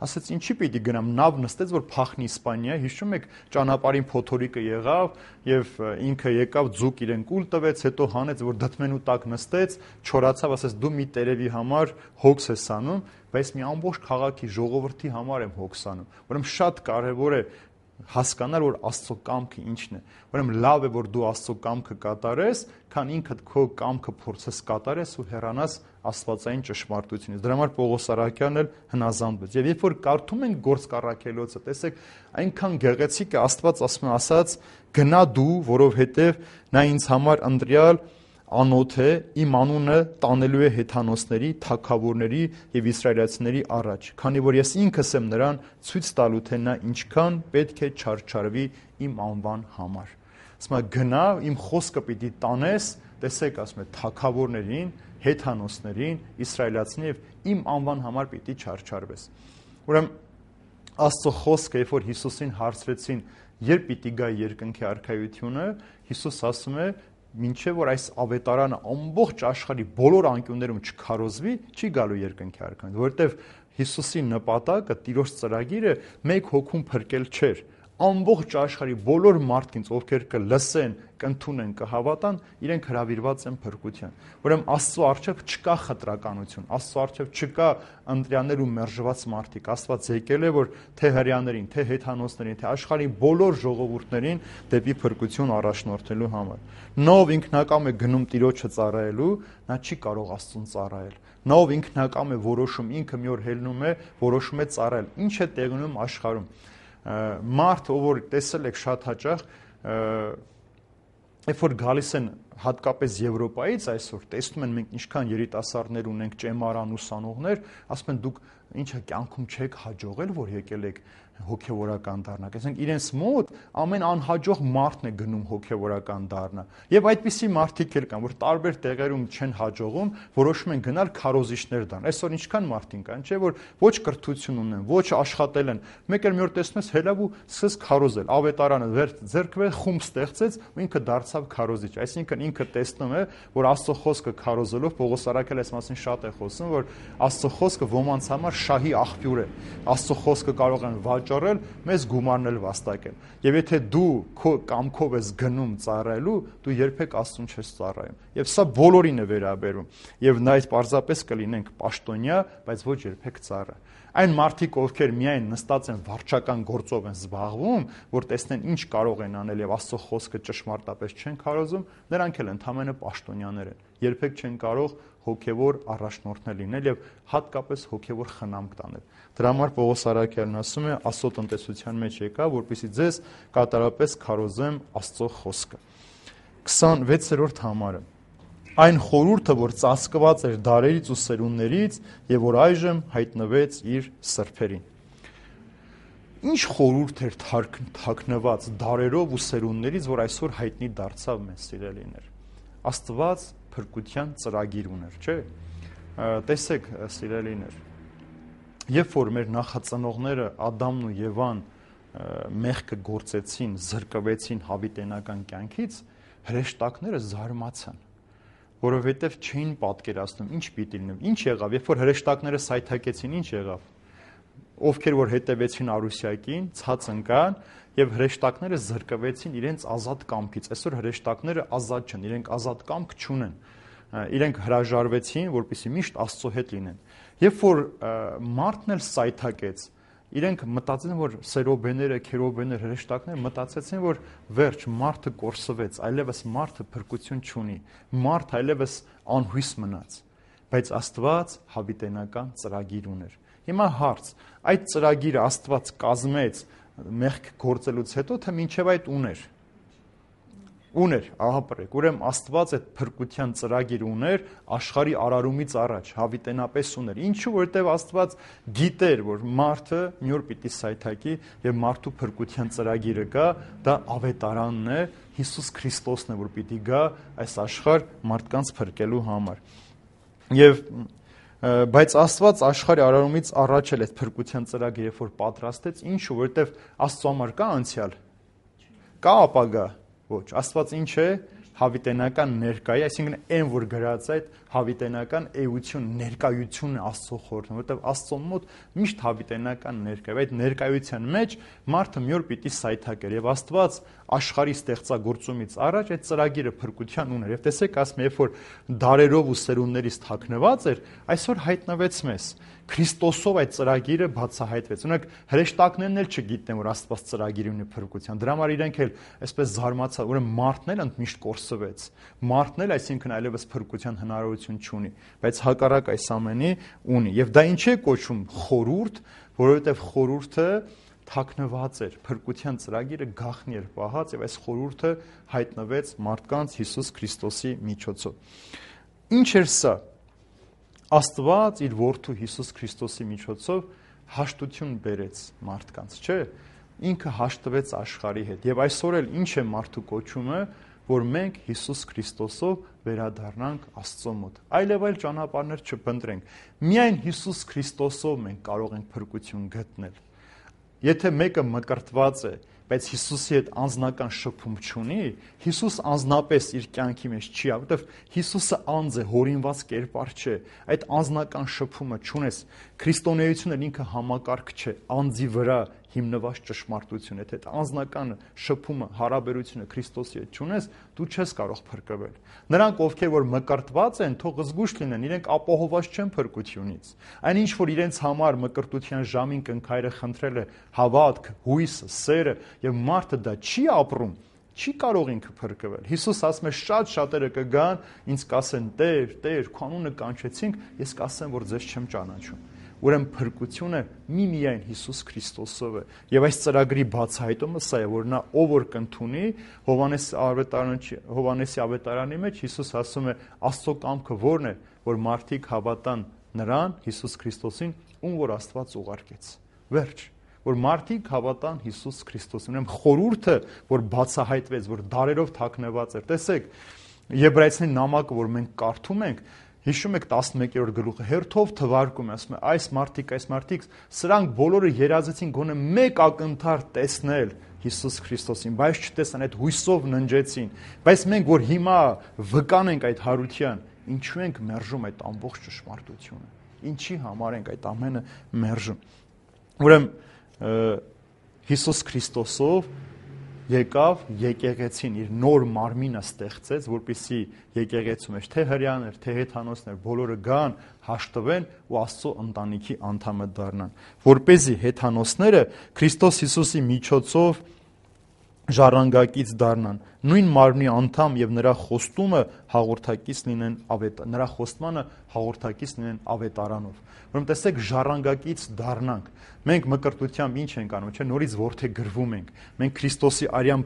ասեց ինչի պիտի գնամ, նավ նստեց որ փախնի Իսպանիա, հիշում եք ճանապարհին փոթորիկը եղավ եւ ինքը եկավ ձուկ իրեն կուլ տվեց, հետո հանեց որ դդմենու տակ նստեց, չորացավ, ասեց դու մի տերևի համար հոգս ես անում, բայց մի ամբողջ քաղաքի ժողովրդի համար եմ հոգս անում։ Ուրեմն շատ կարեւոր է հասկանալ, որ Աստծո կամքը ինչն է։ Ուրեմն լավ է, որ դու Աստծո կամքը կատարես, քան ինքդ քո կամքը փորձես կատարես ու հեռանաս աստվածային ճշմարտությունից։ Դրա համար Պողոս Արաքյալն էլ հնազանդվեց։ Եվ երբ որ կարդում ենք Գործք առաքելոցը, տեսեք, այնքան գեղեցիկ է, Աստված ասաց. «Գնա դու, որովհետև նա ինձ համար ընտրյալ անոթ է, իմ անունը տանելու է հեթանոսների, թագավորների եւ իսրայելացիների առաջ, քանի որ ես ինքս եմ նրան ցույց տալու, թե նա ինչքան պետք է չարչարվի իմ անվան համար»։ Ասում է գնա, իմ խոսքը պիտի տանես, տեսեք, ասում է թագավորներին, հեթանոսներին, իսրայելացիներին եւ իմ անվան համար պիտի չարչարվես։ Ուրեմն Աստծո խոսքը, երբ որ Հիսուսին հարցրեցին, երբ պիտի գա երկնքի արքայությունը, Հիսուս ասում է մինչև որ այս ավետարանը ամբողջ աշխարհի բոլոր անկյուններում չքարոզվի, չի գալու երկնքի արքայությունը, որովհետև Հիսուսի նպատակը, Տիրոջ ծրագիրը մեկ հոգում փրկել չէր, ամբողջ աշխարհի բոլոր մարդկանց, ովքեր կլսեն, կընդունեն, կհավատան, իրենք հրավիրված են փրկության։ Ուրեմն Աստծո առջև չկա խտրականություն, Աստծո առջև չկա ընտրյաներ ու մերժված մարդիկ։ Աստված եկել է, որ թե հրեաներին, թե հեթանոսներին, թե աշխարհի բոլոր ժողովուրդներին դեպի փրկություն առաջնորդելու համար։ Նա ով ինքնակամ է գնում Տիրոջը ծառայելու, նա չի կարող Աստծուն ծառայել։ Նա ով ինքնակամ է որոշում, ինքը մի օր հելնում է, որոշում է ծառայել։ Ինչ է տեղի ունենում աշխարհում։ Մարդ, ով որ տեսել եք շատ հաճախ, երբ որ գալիս են հատկապես Եվրոպայից այսօր, տեսնում են մենք ինչքան երիտասարդներ ունենք, ճեմարան ուսանողներ, ասում են դուք ինչա կյանքում չեք հաջողել, որ եկել եք հոգևորական դառնաք։ Այսինքն իրենց մոտ ամեն անհաջող մարդն է գնում հոգևորական դառնա։ Եվ այդպիսի մարդիկ էլ կան, որ տարբեր տեղերում չեն հաջողում, որոշում են գնալ քարոզիչներ դառնալ։ Այսօր ինչքան մարդիկ կան, չէ, որ ոչ կրթություն ունեն, ոչ աշխատել են։ Մեկ էլ մի օր տեսնում ես հելավ ու սկսես քարոզել։ Ավետարանը ձեռքվել խումբ ստեղծեց ու ինքը դարձավ քարոզիչ։ Այսինքն ինքը տեսնում է, որ Աստծո խոսքը քարոզելով Պողոս Արաքելը այս մասին շատ է խոսում, որ Աստծո խոսքը ոմանց համար շահի աղբյուր է։ Աստծո խոսքը կարող են վաճառել, մեզ գումարնել վաստակել։ Եվ եթե դու քո կամքով ես գնում ծառայելու, դու երբեք Աստծուն չես ծառայում։ Եվ սա բոլորին է վերաբերում։ Եվ նա այդ պարզապես կլինենք պաշտոնյա, բայց ոչ երբեք ծառա։ Այն մարդիկ, ովքեր միայն նստած են վարչական գործով են զբաղվում, որ տեսնեն ինչ կարող են անել եւ Աստծո խոսքը ճշմարտապես չեն քարոզում, նրանք էլ ընդհանրապես պաշտոնյաներ են։ Երբեք չեն կարող հոգևոր առաջնորդներ լինել եւ հատկապես հոգևոր խնամք տանել։ Դրա համար Պողոս Արաքյալն ասում է, Աստծո տնտեսության մեջ եկա, որպեսզի ձեզ կատարապես քարոզեմ Աստծո խոսքը։ 26-րդ համարը։ Այն խորհուրդը, որ ծածկված էր դարերից ու սերունդներից եւ որ այժմ հայտնվեց իր սրբերին։ Ինչ խորհուրդ էր թաքնված դարերով ու սերունդներից, որ այսօր հայտնի դարձավ մեզ սիրելիներ։ Աստված փրկության ծրագիր ուներ, չէ՞։ Տեսեք, սիրելիներ, երբ որ մեր նախածնողները Ադամն ու Եվան մեղքը գործեցին, զրկվեցին հավիտենական կյանքից, հրեշտակները զարմացան, որովհետև չէին պատկերացնում ինչ պիտի լինի։ Ինչ եղավ, երբ որ հրեշտակները սայթաքեցին, ինչ եղավ։ Ովքեր որ հետևեցին Արուսյակին, ցած ընկան եւ հրեշտակները զրկվեցին իրենց ազատ կամքից։ Այսօր հրեշտակները ազատ չեն, իրենք ազատ կամք չունեն։ Իրենք հրաժարվեցին, որպեսզի միշտ Աստծո հետ լինեն։ Երբ որ մարդն էլ սայթակեց, իրենք մտածեցին, որ սերոբեները, քերոբեները, հրեշտակները մտածեցին, որ վերջ մարդը կորսվեց, այլևս մարդը փրկություն չունի, մարդ այլևս անհույս մնաց։ Բայց Աստված հավիտենական ծրագիր ուներ։ Հիմա հարց, այդ ծրագիրը Աստված կազմեց մեղք գործելուց հետո, թե մինչև այդ ուներ։ Ուներ, ահա պրեք, ուրեմն Աստված այդ փրկության ծրագիր ուներ աշխարհի արարումից առաջ, հավիտենապես ուներ։ Ինչու, որովհետև Աստված գիտեր, որ մարդը մի օր պիտի սայթակի եւ մարդու փրկության ծրագիրը կա, դա ավետարանն է, Հիսուս Քրիստոսն է, որ պիտի գա այս աշխարհ մարդկանց փրկելու համար։ Եվ բայց Աստված աշխարհի արարումից առաջ էլ այդ փրկության ծրագիրը որ պատրաստեց, ինչու, որովհետև Աստծո համար կա անցյալ, կա ապագա։ Ոչ, Աստված ինչ է, հավիտենական ներկայ, այսինքն այն որ գրած այդ հավիտենական էություն, ներկայությունն է Աստծո խորհուրդը, որովհետև Աստծո մոտ միշտ հավիտենական ներկայ, այդ ներկայության մեջ մարդը մի օր պիտի սայթակեր եւ Աստված աշխարհի ստեղծագործումից առաջ այդ ծրագիրը փրկության ուներ։ Եվ տեսեք, ասում երբ որ դարերով ու սերունդներից թաքնված էր, այսօր հայտնվեց մեզ։ Քրիստոսով այդ ծրագիրը բացահայտվեց։ Օրինակ հրեշտակներն էլ չգիտեն, որ Աստված ծրագիր ունի փրկության։ Դրա համար իրենք էլ այսպես զարմացան, ուրեմն մարդն էլ ընդմիշտ կորսվեց։ Մարդն էլ, այսինքն այլևս փրկության հնարավորություն չունի, բայց հակառակ այս ամենի ունի։ Եվ դա ինչ է կոչվում խորհուրդ, որովհետև խորհուրդը թաքնված էր, փրկության ծրագիրը գաղտնի էր պահած եւ այս խորհուրդը հայտնվեց մարդկանց Հիսուս Քրիստոսի միջոցով։ Ինչ էր սա։ Աստված իր որդու Հիսուս Քրիստոսի միջոցով հաշտություն բերեց մարդկանց, չէ՞։ Ինքը հաշտվեց աշխարհի հետ։ Եվ այսօր էլ ինչ է մարդու կոչումը, որ մենք Հիսուս Քրիստոսով վերադառնանք Աստծո մոտ։ Այլև այլ ճանապարհներ չփնտրենք։ Միայն Հիսուս Քրիստոսով մենք կարող ենք փրկություն գտնել։ Եթե մեկը մկրտված է, բայց Հիսուսի հետ անձնական շփում չունի, Հիսուս անձնապես իր կյանքի մեջ չի, որովհետև Հիսուսը անձ է, հորինված կերպար չէ, այդ անձնական շփումը չունես, քրիստոնեությունը ինքը համակարգ չէ, անձի վրա հիմնված ճշմարտություն, եթե այդ անձնական շփումը, հարաբերությունը Քրիստոսի հետ չունես, դու չես կարող փրկվել։ Նրանք, ովքեր որ մկրտված են, թող զգուշ լինեն, իրենք ապահովված չեն փրկությունից։ Այն ինչ որ իրենց համար մկրտության ժամին կնքայրը խնդրել է հավատք, հույսը, սերը, եւ մարդը դա չի ապրում, չի կարող ինքը փրկվել։ Հիսուս ասում է շատ շատերը կգան, ինձ կասեն. «Տեր, Տեր, քո անունը կանչեցինք», ես կասեմ, որ ձեզ չեմ ճանաչում։ Ուրեմն փրկությունը միայն Հիսուս Քրիստոսով է։ Եվ այս ծրագրի բացահայտումը սա է, որ նա ով որ կընդունի, Հովհաննեսի ավետարանի մեջ Հիսուս ասում է, Աստծո կամքը ո՞րն է, որ մարդիկ հավատան նրան, Հիսուս Քրիստոսին, ում որ Աստված ուղարկեց։ Վերջ, որ մարդիկ հավատան Հիսուս Քրիստոսին։ Ուրեմն խորհուրդը, որ բացահայտվեց, որ դարերով թաքնված էր։ Տեսեք, Եբրայեցիների նամակը, որ մենք կարդում ենք, հիշում եք 11-րդ գլուխը, հերթով թվարկում է, ասում է, այս մարդիկ, սրանք բոլորը երազեցին գոնե մեկ ակնթար տեսնել Հիսուս Քրիստոսին, բայց չտեսան, այդ հույսով ննջեցին։ Բայց մենք, որ հիմա վկանենք այդ հարության, ինչու ենք մերժում այդ ամբողջ ճշմարտությունը։ Ինչի համար ենք այդ ամենը մերժում։ Ուրեմն Հիսուս Քրիստոսով եկավ եկեղեցին իր նոր մարմինը ստեղծեց, որպեսզի եկեղեցու մեջ թե հրեաներ, թե հեթանոսներ բոլորը գան, հաշտվեն ու Աստծո ընտանիքի անդամը դառնան, որպեսզի հեթանոսները Քրիստոս Հիսուսի միջոցով ժառանգակից դառնան, նույն մարմնի անդամ եւ նրա խոստումը հաղորդակից լինեն նրա խոստմանը հաղորդակից լինեն ավետարանով։ Ուրեմն տեսեք, ժառանգակից դառնանք։ Մենք մկրտությամբ ինչ ենք անում, չէ՞, նորից որդեգրվում ենք։ Մենք Քրիստոսի արյան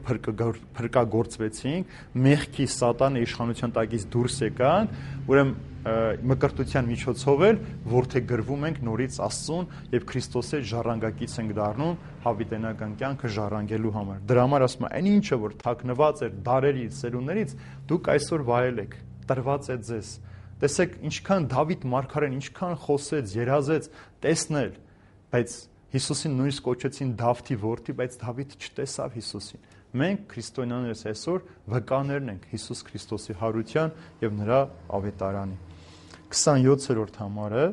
փրկագործվեցինք, մեղքի սատանե իշխանության տակից դուրս եկանք, ուրեմն մկրտության միջոցով էլ որդեգրվում ենք նորից Աստծուն եւ Քրիստոսի ժառանգակից ենք դառնում հավիտենական կյանքը ժառանգելու համար։ Դրա համար ասում եմ, այն ինչը որ թաքնված էր դարերից, սերունդներից, դուք այսօր վայել եք, տրված է ձեզ։ Տեսեք, ինչքան Դավիթ մարգարեն, ինչքան խոսեց, երազեց տեսնել, բայց Հիսուսին նույնիսկ կոչեցին Դավթի որդի, բայց Դավիթ չտեսավ Հիսուսին։ Մենք քրիստոնյաներս այսօր վկաներն ենք Հիսուս Քրիստոսի հարության եւ նրա ավետարանի։ 27-րդ համարը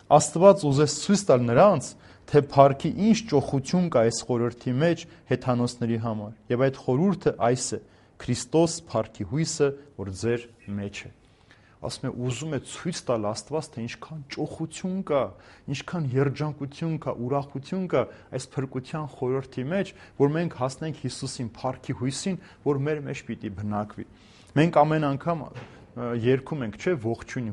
Աստված ուզեց ցույց տալ նրանց, թե փառքի ինչ ճոխություն կա այս խորհրդի մեջ հեթանոսների համար։ Եվ այդ խորհուրդը այս է. Քրիստոս փառքի հույսը, որ ձեր մեջ է։ Ասում է, ուզում է ցույց տալ Աստված, թե ինչքան ճոխություն կա, ինչքան երջանկություն կա, ուրախություն կա այս փրկության խորհրդի մեջ, որ մենք հասնենք Հիսուսին, փառքի հույսին, որ մեր մեջ պիտի բնակվի։ Մենք ամեն անգամ երգում ենք, չէ, ողջույն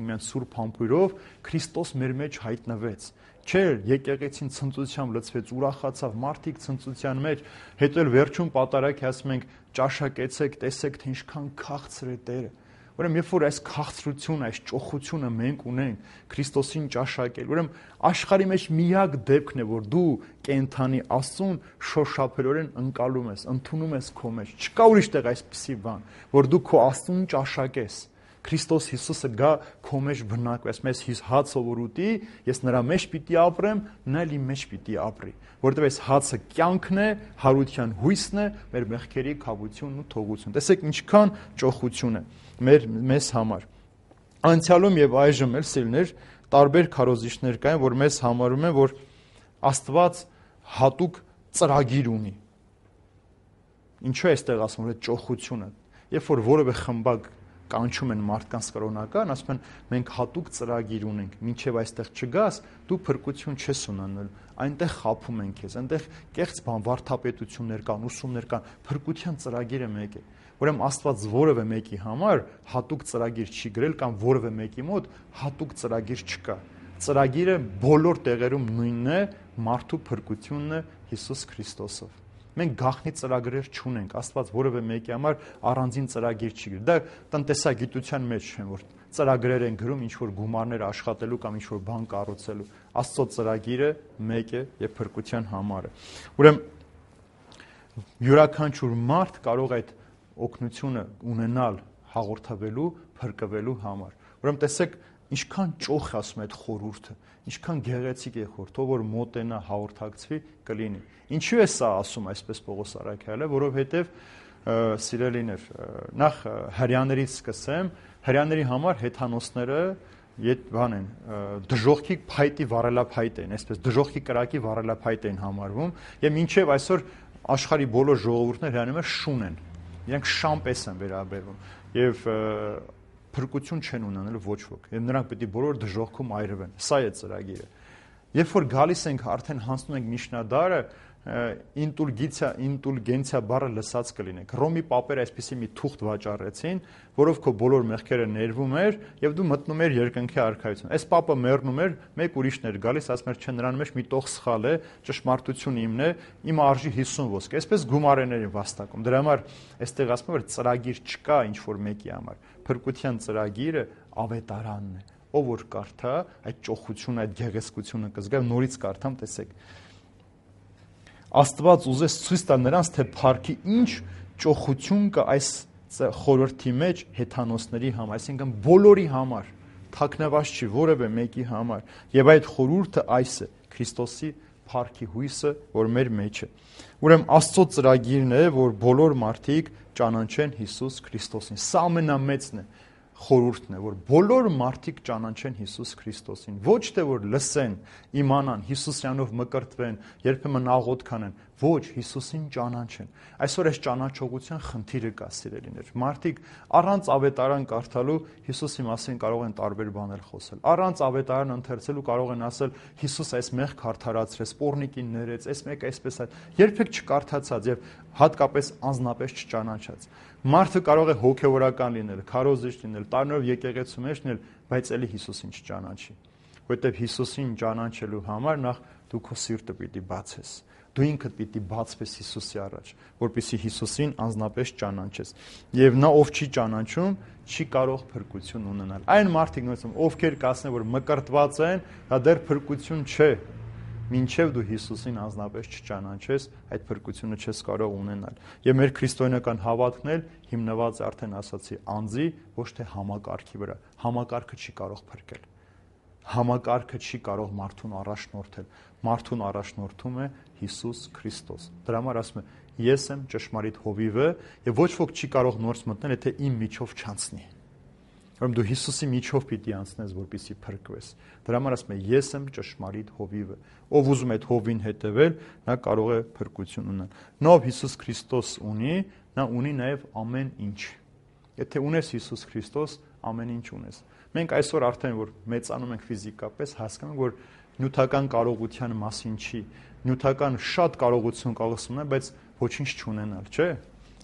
միայն սուրբ համբույրով Քրիստոս մեր մեջ հայտնվեց։ Չէ, եկեղեցին ցնծությամբ լցվեց, ուրախացավ, մարդիկ ցնծության մեջ, հետո էլ վերջում պատարագի ասում ենք, ճաշակեցեք, տեսեք, թե ինչքան քաղցր է Տերը։ Ուրեմն երբ որ այս քաղցրությունը, այս ճոխությունը մենք ունենք Քրիստոսին ճաշակել, ուրեմն աշխարհի մեջ միակ դեպքն է, որ դու կենթանի Աստծուն շոշափելորեն ընկալում ես, ընդունում ես քո մեջ։ Չկա ուրիշ տեղ այսպիսի բան, որ դու քո Աստծուն ճաշակես։ Քրիստոս Հիսուսը գա քո մեջ բնակվի, ասում ես հիս հաց ով ուտի, ես նրա մեջ պիտի ապրեմ, նա իմ մեջ պիտի ապրի, որովհետև այս հացը կյանքն է, հարության հույսն է, մեր մեղքերի քավությունն ու թողություն։ Տեսեք ինչքան ճոխություն է մեզ համար։ Անցյալում եւ այժմ էլ սիրելիներ տարբեր քարոզիչներ կային, որ մեզ համարում են, որ Աստված հատուկ ծրագիր ունի։ Ինչու է այստեղ ասում, որ ճոխությունը, երբ որ որևէ խմբակ կանչում են մարդկանց կրոնական, ասում են մենք հատուկ ծրագիր ունենք, մինչև այստեղ չգաս, դու փրկություն չես ունենալու, այնտեղ խաբում են քեզ, այնտեղ կեղծ բան, վարդապետություններ կան, ուսումներ կան, փրկության ծրագիրը մեկ է։ Ուրեմն Աստված որևէ մեկի համար հատուկ ծրագիր չի գրել կամ որևէ մեկի մոտ հատուկ ծրագիր չկա։ Ծրագիրը բոլոր տեղերում նույնն է, մարդու փրկությունն է Հիսուս Քրիստոսով։ Մենք գաղտնի ծրագրեր չունենք, Աստված որևէ մեկի համար առանձին ծրագիր չի գրել։ Դա տնտեսագիտության մեջ չեն, որ ծրագրեր են գրում ինչ-որ գումարներ աշխատելու կամ ինչ-որ բան կառուցելու։ Աստծո ծրագիրը մեկ է եւ փրկության համար է։ Ուրեմն յուրաքանչյուր մարդ կարող այդ օգնությունը ունենալ հաղորդավելու, փրկվելու համար։ Ուրեմն տեսեք, ինչքան ճոխ է ասում այդ խորհուրդը, ինչքան գեղեցիկ է խորհուրդ, ով որ մոտենա հաղորդակցվի կլինի։ Ինչու է սա ասում այսպես Պողոս Առաքյալը, որովհետև սիրելիներ, նախ հрьяաներից սկսեմ, հрьяաների համար հեթանոսները բան են, դժողքի փայտի վառելափայտ են, այսպես դժողքի կրակի վառելափայտ են համարվում, եւ մինչեւ այսօր աշխարհի բոլոր ժողովուրդները հрьяաները շուն են, իրենք շամպես են վերաբերվում եւ փրկություն չեն ունենալու ոչ ոք, եւ նրանք պետք է բոլոր դժողքում այրվեն։ Սա է ծրագիրը։ Երբ որ գալիս ենք արդեն հանցնում ենք Միշնադարը, ինտուլգենցիա բառը լսած կլինեք։ Ռոմի պապերը այսպեսի մի թուղթ վաճառեցին, որով քո բոլոր մեղքերը ներվում էր եւ դու մտնում ես երկնքի արքայություն։ Այս պապը մեռնում էր, մեկ ուրիշն էր գալիս, ասում էր, չէ, նրան մեջ մի տող սխալ է, ճշմարտությունը իմն է, իմը արժի 50 ոսկ։ Այսպես գումարեներին վաստակում։ Դրա համար այստեղ ասում որ ծրագիր չկա ինչ որ մեկի համար։ Փրկության ծրագիրը ավետարանն է։ Ով որ կարդա, այդ ճոխությունը, այդ գեղեցկությունը կզգա, նորից կարդամ, տեսեք։ Աստված ուզես ցույց տա նրանց, թե փառքի ինչ ճոխություն կա այս խորհրդի մեջ հեթանոսների համար, այսինքն բոլորի համար, թաքնված չի որևէ մեկի համար, եւ այդ խորհուրդը այս է Քրիստոսի փառքի հույսը, որ մեր մեջ է։ Ուրեմն Աստծո ծրագիրն է, որ բոլոր մարդիկ ճանաչեն Հիսուս Քրիստոսին։ Սա ամենամեծն է խորհուրդն է, որ բոլոր մարդիկ ճանաչեն Հիսուս Քրիստոսին, ոչ թե որ լսեն, իմանան, Հիսուսյանով մկրտվեն, երբեմն աղոթք անեն, ոչ, Հիսուսին ճանաչեն։ Այսօր այս ճանաչողության խնդիրը կա, սիրելիներ։ Մարդիկ առանց ավետարան կարդալու Հիսուսի մասին կարող են տարբեր բաներ խոսել։ Առանց ավետարան ընթերցելու կարող են ասել Հիսուս այս մեղք արդարացրեց, պոռնիկին ներեց, այս մեկը այսպես է։ Երբեք չկարդացած եւ հատկապես անznապես չճանաչած։ Մարդը կարող է հոգևորական լինել, քարոզիչ լինել, տարիներով եկեղեցու մեջ լինել, բայց էլի Հիսուսին չճանաչի։ Որտեւ Հիսուսին ճանաչելու համար նախ դու քո սիրտը պիտի բացես։ Դու ինքդ պիտի բացվես Հիսուսի առաջ, որպեսզի Հիսուսին անznապես ճանաչես։ Եվ նա ով չի ճանաչում, չի կարող փրկություն ունենալ։ Այն մարդիկ նույնիսկ ովքեր կասեն, որ մկրտված են, դա դեռ փրկություն չէ։ Մինչև դու Հիսուսին անznապես չճանաչես, այդ փրկությունը չես կարող ունենալ։ Եվ մեր քրիստոնեական հավատքն էլ հիմնված է արդեն ասացի անձի, ոչ թե համակարգի վրա։ Համակարգը չի կարող փրկել։ Համակարգը չի կարող մարդուն առաջնորդել։ Մարդուն առաջնորդում է Հիսուս Քրիստոս։ Դրա համար ասում է. ես եմ ճշմարիտ հովիվը, եւ ոչ ոք չի կարող նորից մտնել, եթե իմ միջով չանցնի։ Ուրեմն դու Հիսուսի միջով պիտի անցնես, որպեսզի փրկվես։ Դրա համար ասում է. ես եմ ճշմարիտ հովիվը։ Ով ուզում է այդ հովին հետևել, նա կարող է փրկություն ունենալ։ Նա ով Հիսուս Քրիստոս ունի, նա ունի նաեւ ամեն ինչ։ Եթե ունես Հիսուս Քրիստոս, ամեն ինչ ունես։ Մենք այսօր արդեն որ մեծանում ենք ֆիզիկապես, հասկանում ենք, որ նյութական կարողության մասին չի։ Նյութական շատ կարողություն կարող ունենալ, բայց ոչինչ չունենալ, չէ՞։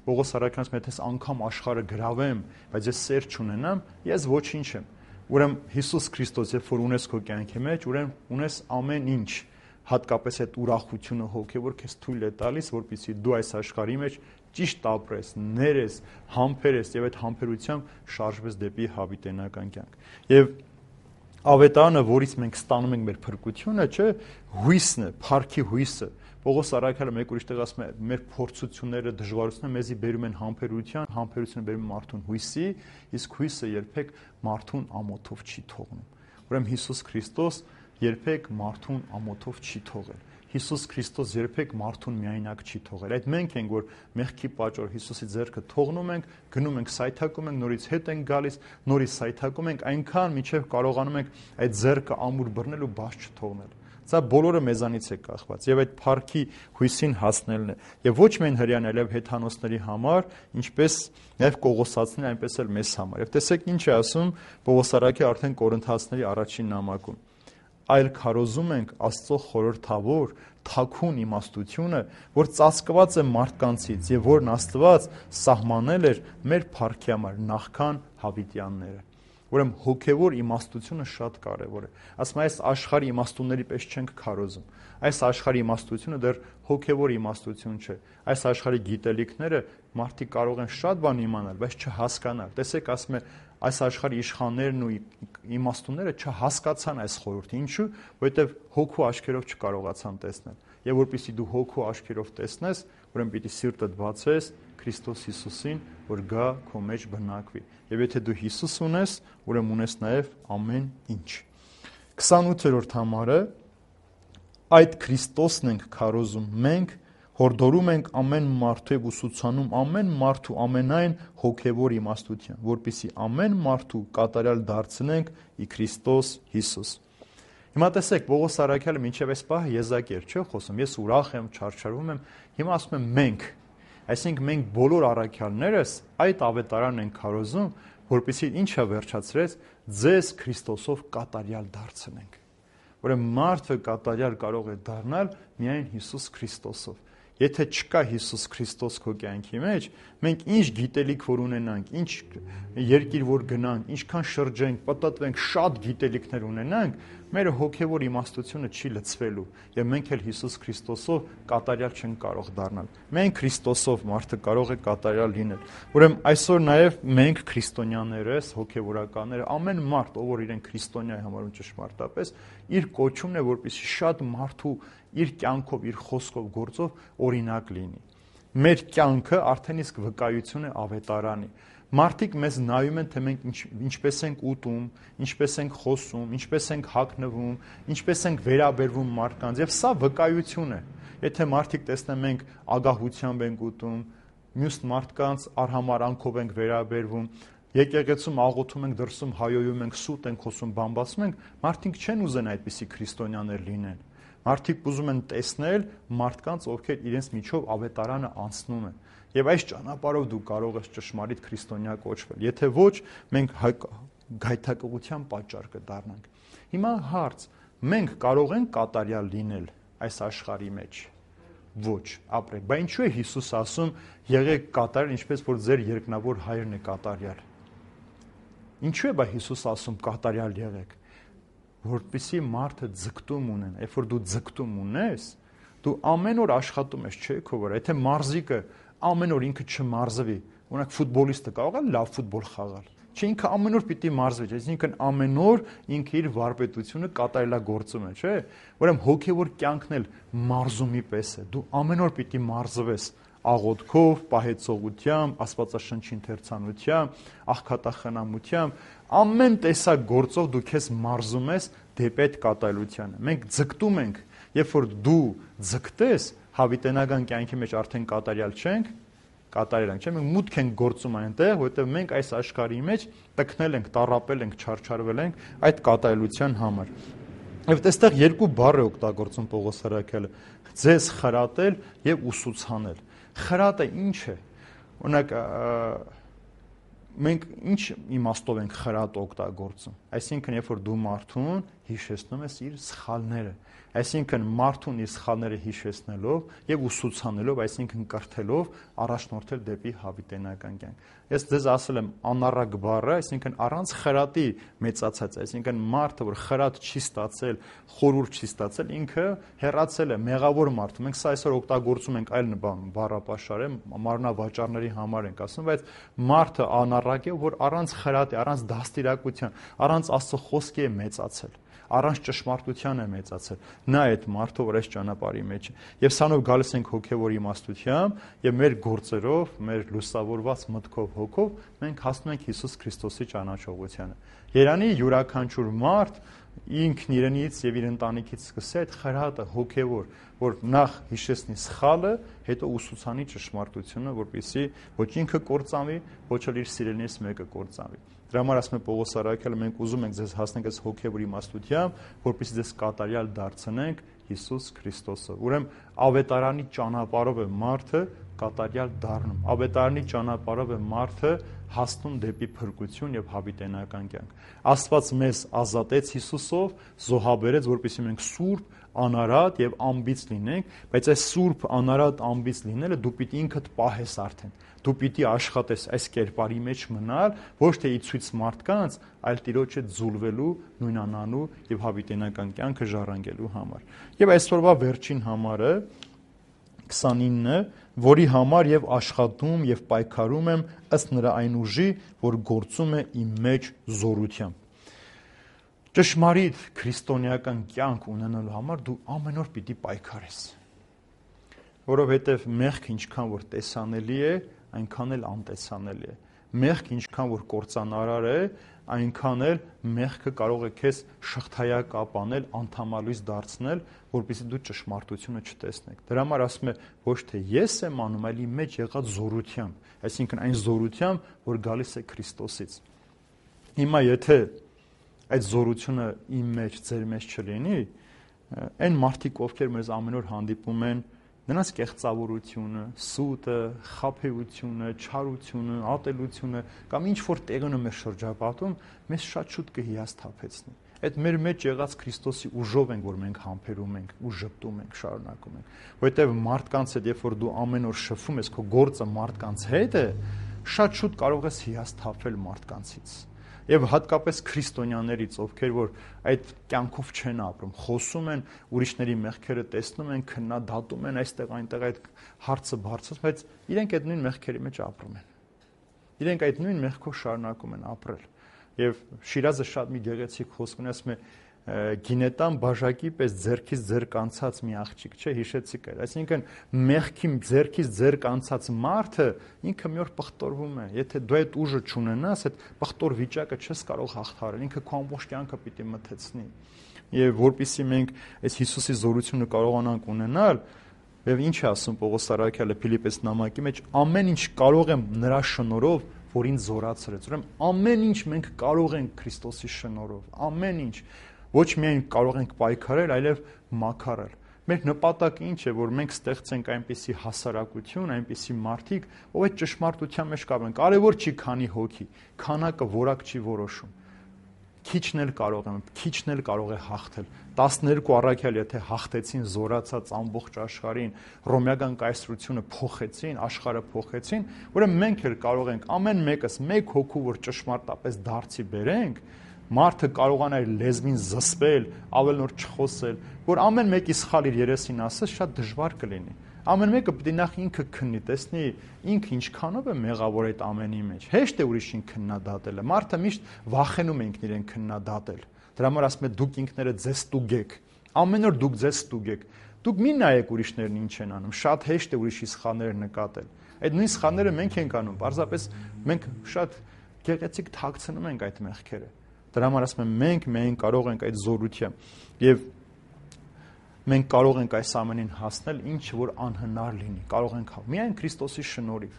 Պողոս Առաքյալն ասում է, թե անգամ աշխարհը գրավեմ, բայց ես սեր չունենամ, ես ոչինչ եմ։ Ուրեմն Հիսուս Քրիստոս, երբ որ ունես քո կյանքի մեջ, ուրեմն ունես ամեն ինչ, հատկապես այդ ուրախությունը հոգևոր քեզ թույլ է տալիս, որպեսզի դու այս աշխարհի մեջ ճիշտ ապրես, ներես, համբերես եւ այդ համբերությամբ շարժվես դեպի հավիտենական կյանք։ Եվ ավետարանը, որից մենք ստանում ենք մեր փրկությունը, չէ, հույսն է, փառքի հույսը։ Պողոս Առաքյալը մեկ ուրիշ տեղ ասում է, մեր փորձությունները, դժվարությունները մեզի բերում են համբերության, համբերությունը բերում է մարդուն հույսի, իսկ հույսը երբեք մարդուն ամոթով չի թողնում։ Ուրեմն Հիսուս Քրիստոս երբեք մարդուն ամոթով չի թողել։ Հիսուս Քրիստոս երբեք մարդուն միայնակ չի թողել։ Այդ մենք ենք, որ մեղքի պատճառով Հիսուսի ձեռքը թողնում ենք, գնում ենք, սայթակում ենք, նորից հետ ենք գալիս, նորից սայթակում ենք, այնքան մինչև կարողանում ենք այդ ձեռքը ամուր բռնել ու բաց չթողնել։ Սա բոլորը մեզանից է կախված եւ այդ փառքի հույսին հասնելն է։ Եվ ոչ միայն հрьяաների, այլև հեթանոսների համար, ինչպես նաեւ Կողոսացիների, այնպես էլ մեզ համար։ Եվ տեսեք ինչ է ասում Պողոս Առաքյալը արդեն Կորինթացիների առաջին նամակում։ Այլ քարոզում ենք Աստծո խորհրդավոր թաքուն իմաստությունը, որ ծածկված է մարդկանցից եւ որն Աստված սահմանել էր մեր փառքի համար նախքան հավիտյանները։ Ուրեմն հոգևոր իմաստությունը շատ կարևոր է։ Ասում այս աշխարհի իմաստունների պես չենք քարոզում։ Այս աշխարհի իմաստությունը դեռ հոգևոր իմաստություն չէ։ Այս աշխարհի գիտելիքները մարդիկ կարող են շատ բան իմանալ, բայց չհասկանալ։ Տեսեք, ասում է այս աշխարհի իշխաններն ու իմաստունները չհասկացան այս խորհուրդը։ Ինչու՞։ Որովհետև հոգու աչքերով չկարողացան տեսնել։ Եվ որpեսզի դու հոգու աչքերով տեսնես, ուրեմն պիտի սիրտդ բացես Քրիստոս Հիսուսին, որ գա քո մեջ բնակվի։ Եվ եթե դու Հիսուս ունես, ուրեմն ունես նաև ամեն ինչ։ 28-րդ համարը այդ Քրիստոսն ենք քարոզում մենք, հորդորում ենք ամեն մարդու եւ ուսուցանում ամեն մարդու ամենայն հոգեվոր իմաստության, որպեսզի ամեն մարդու կատարյալ դարձնենք ի Քրիստոս Հիսուս։ Հիմա տեսեք, Պողոս Առաքյալը մինչև այս պահը եզակի էր, չէ՞ խոսում, ես ուրախ եմ, չարչարվում եմ, հիմա ասում եմ մենք, այսինքն մենք բոլոր առաքյալներս այդ ավետարանն ենք քարոզում, որպեսզի ինչը վերջացրեց, ձեզ Քրիստոսով կատարյալ դարձնենք։ Ուրեմն մարդը կատարյալ կարող է դառնալ միայն Հիսուս Քրիստոսով։ Եթե չկա Հիսուս Քրիստոս քո կյանքի մեջ, մենք ինչ գիտելիք որ ունենանք, ինչ երկիր որ գնանք, ինչքան շրջենք, պատտվենք, շատ գիտելիքներ ունենանք, մեր հոգևոր իմաստությունը չի լցվելու, եւ մենք էլ Հիսուս Քրիստոսով կատարյալ չենք կարող դառնալ։ Մենք Քրիստոսով մարդը կարող է կատարյալ լինել։ Ուրեմն այսօր նաեւ մենք քրիստոնյաներս, հոգևորականները, ամեն մարդ, ով որ իրեն քրիստոնյա է համարում ճշմարտապես, իր կոչումն է, որպեսզի շատ մարդու իր կյանքով, իր խոսքով, գործով օրինակ լինի։ Մեր կյանքը արդեն իսկ վկայություն է ավետարանի։ Մարդիկ մեզ նայում են, թե մենք ինչպես ենք ուտում, ինչպես ենք խոսում, ինչպես ենք հագնվում, ինչպես ենք վերաբերվում մարդկանց, եւ սա վկայություն է։ Եթե մարդիկ տեսնեն մենք ագահությամբ ենք ուտում, մյուս մարդկանց արհամարանքով ենք վերաբերվում, եկեղեցում աղոթում ենք, դրսում հայոյում ենք, սուտ ենք խոսում, բամբասում ենք, մարդիկ չեն ուզեն այդպիսի քրիստոնյաներ լինեն։ Մարդիկ ուզում են տեսնել մարդկանց, ովքեր իրենց միջով ավետարանը անցնում են։ Եվ այս ճանապարհով դու կարող ես ճշմարիտ քրիստոնյա կոչվել։ Եթե ոչ, մենք գայթակղության պատճառ կդառնանք։ Հիմա հարց. մենք կարող ենք կատարյալ լինել այս աշխարհի մեջ։ Ոչ, ապրեք։ Բայց ինչու է Հիսուս ասում, եղեք կատարյալ, ինչպես որ ձեր երկնավոր հայրն է կատարյալ։ Ինչու է բա Հիսուս ասում կատարյալ եղեք։ Որպեսզի մարդը ձգտում ունեն, երբ որ դու ձգտում ունես, դու ամեն օր աշխատում ես, չէ՞ քո վրա։ Եթե մարզիկը ամեն օր ինքը չմարզվի, օրինակ ֆուտբոլիստը կարող է լավ ֆուտբոլ խաղալ։ Չէ, ինքը ամեն օր պիտի մարզվի, այսինքն ամեն օր ինքը իր վարպետությունը կատարելագործում է, չէ՞։ Ուրեմն հոգևոր կյանքն էլ մարզումի պես է։ Դու ամեն օր պիտի մարզվես աղոթքով, պահեցողությամբ, աստվածաշնչի ընթերցանությամբ, աղքատախնամությամբ, ամեն տեսակ գործով դու քեզ մարզում ես դեպի այդ կատարելությանը։ Մենք ձգտում ենք, երբ որ դու ձգտես, հավիտենական կյանքի մեջ արդեն կատարյալ չենք, կատարել ենք, չէ՞, մենք մուտք ենք գործում այնտեղ, որովհետև մենք այս աշխարհի մեջ տքնել ենք, տառապել ենք, չարչարվել ենք այդ կատարելության համար։ Եվ այստեղ երկու բառ է օգտագործում Պողոս Առաքյալը՝ ձեզ խրատել եւ ուսուցանել։ Խրատը ինչ է։ Օրինակ մենք ինչ իմաստով ենք խրատ օգտագործում։ Այսինքն, երբ որ դու մարդուն հիշեցնում ես իր սխալները, այսինքն մարդուն իր սխալները հիշեցնելով եւ ուսուցանելով, այսինքն կրթելով, առաջնորդել դեպի հավիտենական կյանք։ Ես ձեզ ասել եմ անառակ բառը, այսինքն առանց խրատի մեծացած, այսինքն մարդը, որ խրատ չի ստացել, խորուրդ չի ստացել, ինքը հեռացել է, մեղավոր մարդ։ Մենք սա այսօր օգտագործում ենք այլ բառապաշար է, մարմնավաճառների համար ենք ասում, բայց մարդը անառակ է, որ առանց խրատի, առանց դաստիարակության, առանց Աստծո խոսքի է մեծացել, առանց ճշմարտության է մեծացել։ Նա այդ մարդը, որ այս ճանապարհի մեջ է։ Եվ սանով գալիս ենք հոգևոր իմաստությամբ եւ մեր գործերով, մեր լուսավորված մտքով, հոգով մենք հասնում ենք Հիսուս Քրիստոսի ճանաչողությանը։ Երանի յուրաքանչյուր մարդ ինքն իրենից եւ իր ընտանիքից սկսի այդ խրատը հոգևոր, որ նախ հիշեցնի սխալը, հետո ուսուցանի ճշմարտությունը, որպեսզի ոչ ինքը կործանվի, ոչ էլ իր սիրելիներից մեկը կործանվի։ Դրա համար ասում է Պողոս Առաքյալը, մենք ուզում ենք ձեզ հասնենք այս հոգևոր իմաստությամբ, որպեսզի ձեզ կատարյալ դարձնենք Հիսուս Քրիստոսով։ Ուրեմն ավետարանի ճանապարհով է մարդը կատարյալ դառնում։ Ավետարանի ճանապարհով է մարդը հասնում դեպի փրկություն եւ հավիտենական կյանք։ Աստված մեզ ազատեց Հիսուսով, զոհաբերեց, որպեսզի մենք սուրբ, անարատ եւ անբիծ լինենք, բայց այս սուրբ, անարատ, անբիծ լինելը դու պիտի ինքդ պահես արդեն։ Դու պիտի աշխատես այս կերպարի մեջ մնալ, ոչ թե ի ցույց մարդկանց, այլ Տիրոջը ձուլվելու, նույնանալու եւ հավիտենական կյանքը ժառանգելու համար։ Եվ այսօրվա վերջին համարը 29-ը, որի համար եւ աշխատում եւ պայքարում եմ ըստ նրա այն ուժի, որ գործում է իմ մեջ զորությամբ։ Ճշմարիտ քրիստոնեական կյանք ունենալու համար դու ամեն օր պիտի պայքարես, որովհետեւ մեղքը ինչքան որ տեսանելի է, այնքան էլ անտեսանելի է։ Մեղք ինչքան որ կործանարար է, այնքան էլ մեղքը կարող է քեզ շղթայակապ անել, անդամալույս դարձնել, որպեսզի դու ճշմարտությունը չտեսնեք։ Դրա համար ասում է ոչ թե ես եմ անում, այլ իմ մեջ եղած զորությամբ, այսինքն այն զորությամբ, որ գալիս է Քրիստոսից։ Հիմա եթե այդ զորությունը իմ մեջ, ձեր մեջ չլինի, այն մարդիկ, ովքեր մեզ ամեն օր հանդիպում են, նրանց կեղծավորությունը, սուտը, խաբեությունը, չարությունը, ատելությունը կամ ինչ որ տեղն է մեր շրջապատում, մեզ շատ շուտ կհիասթափեցնի։ Այդ մեր մեջ եղած Քրիստոսի ուժով ենք, որ մենք համբերում ենք ու ժպտում ենք, շարունակում ենք։ Որովհետև մարդկանց հետ, երբ որ դու ամեն օր շփվում ես, քո գործը մարդկանց հետ է, շատ շուտ կարող ես հիասթափվել մարդկանցից։ Եվ հատկապես քրիստոնյաներից, ովքեր որ այդ կյանքով չեն ապրում, խոսում են, ուրիշների մեղքերը տեսնում են, քննադատում են այստեղ այնտեղ այդ հարցը բարձրացնում, բայց իրենք այդ նույն մեղքերի մեջ ապրում են։ Իրենք այդ նույն մեղքով շարունակում են ապրել։ Եւ Շիրազը շատ մի գեղեցիկ խոսք ունի, ասում է գինետան բաժակի պես ձերքից ձերք անցած մի աղջիկ, չէ, հիշեցիք այդ։ Այսինքն մեղքի ձերքից ձերք անցած մարդը ինքը մի օր պղտորվում է։ Եթե դու այդ ուժը չունենաս, այդ պղտոր վիճակը չես կարող հաղթահարել, ինքը քո ամբողջ կյանքը պիտի մթեցնի։ Եվ որpիսի մենք այս Հիսուսի զորությունը կարողանանք ունենալ, եւ ինչ է ասում Պողոս Արաքյալը Փիլիպպես նամակի մեջ, ամեն ինչ կարող եմ նրա շնորհով, որ ինձ զորացրեց։ Ուրեմն ամեն ինչ մենք կարող ենք Քրիստոսի շնորհով, ամեն ինչ ոչ միայն կարող ենք պայքարել, այլև մաքարել։ Մեր նպատակը ինչ է, որ մենք ստեղծենք այնպիսի հասարակություն, այնպիսի մարդիկ, ով այդ ճշմարտության մեջ կապեն։ Կարևոր չի քանի հոգի, քանակը որակ չի որոշում։ Քիչն էլ կարող է հաղթել։ 12 առաքյալ եթե հաղթեցին, զորացած ամբողջ աշխարհին, ռոմեական կայսրությունը փոխեցին, աշխարհը փոխեցին, ուրեմն մենք էլ կարող ենք ամեն մեկս մեկ հոգու, որ ճշմարտապես դարձի բերենք, մարդը կարողանա իր լեզվին զսպել, ավելնոր չխոսել, որ ամեն մեկի սխալ իր երեսին ասես, շատ դժվար կլինի։ Ամեն մեկը պիտի նախ ինքը քննի, տեսնի ինքը ինչքանով է մեղավոր այդ ամենի մեջ։ Հեշտ է ուրիշին քննադատելը։ Մարդը միշտ վախենում է ինքն իրեն քննադատել։ Դրա համար ասում է դուք ինքներդ ձեզ ստուգեք։ Ամեն օր դուք ձեզ ստուգեք։ Դուք մի նայեք ուրիշներն ինչ են անում։ Շատ հեշտ է ուրիշի սխալները նկատել։ Այդ նույն սխալները մենք ենք անում։ Պարզապես մենք շատ գեղեցիկ թաքցնում ենք այդ մեղքերը։ Դրա համար ասում եմ մենք կարող ենք այդ զորությամբ եւ մենք կարող ենք այս ամենին հասնել, ինչ որ անհնար լինի, կարող ենք միայն Քրիստոսի շնորհիվ։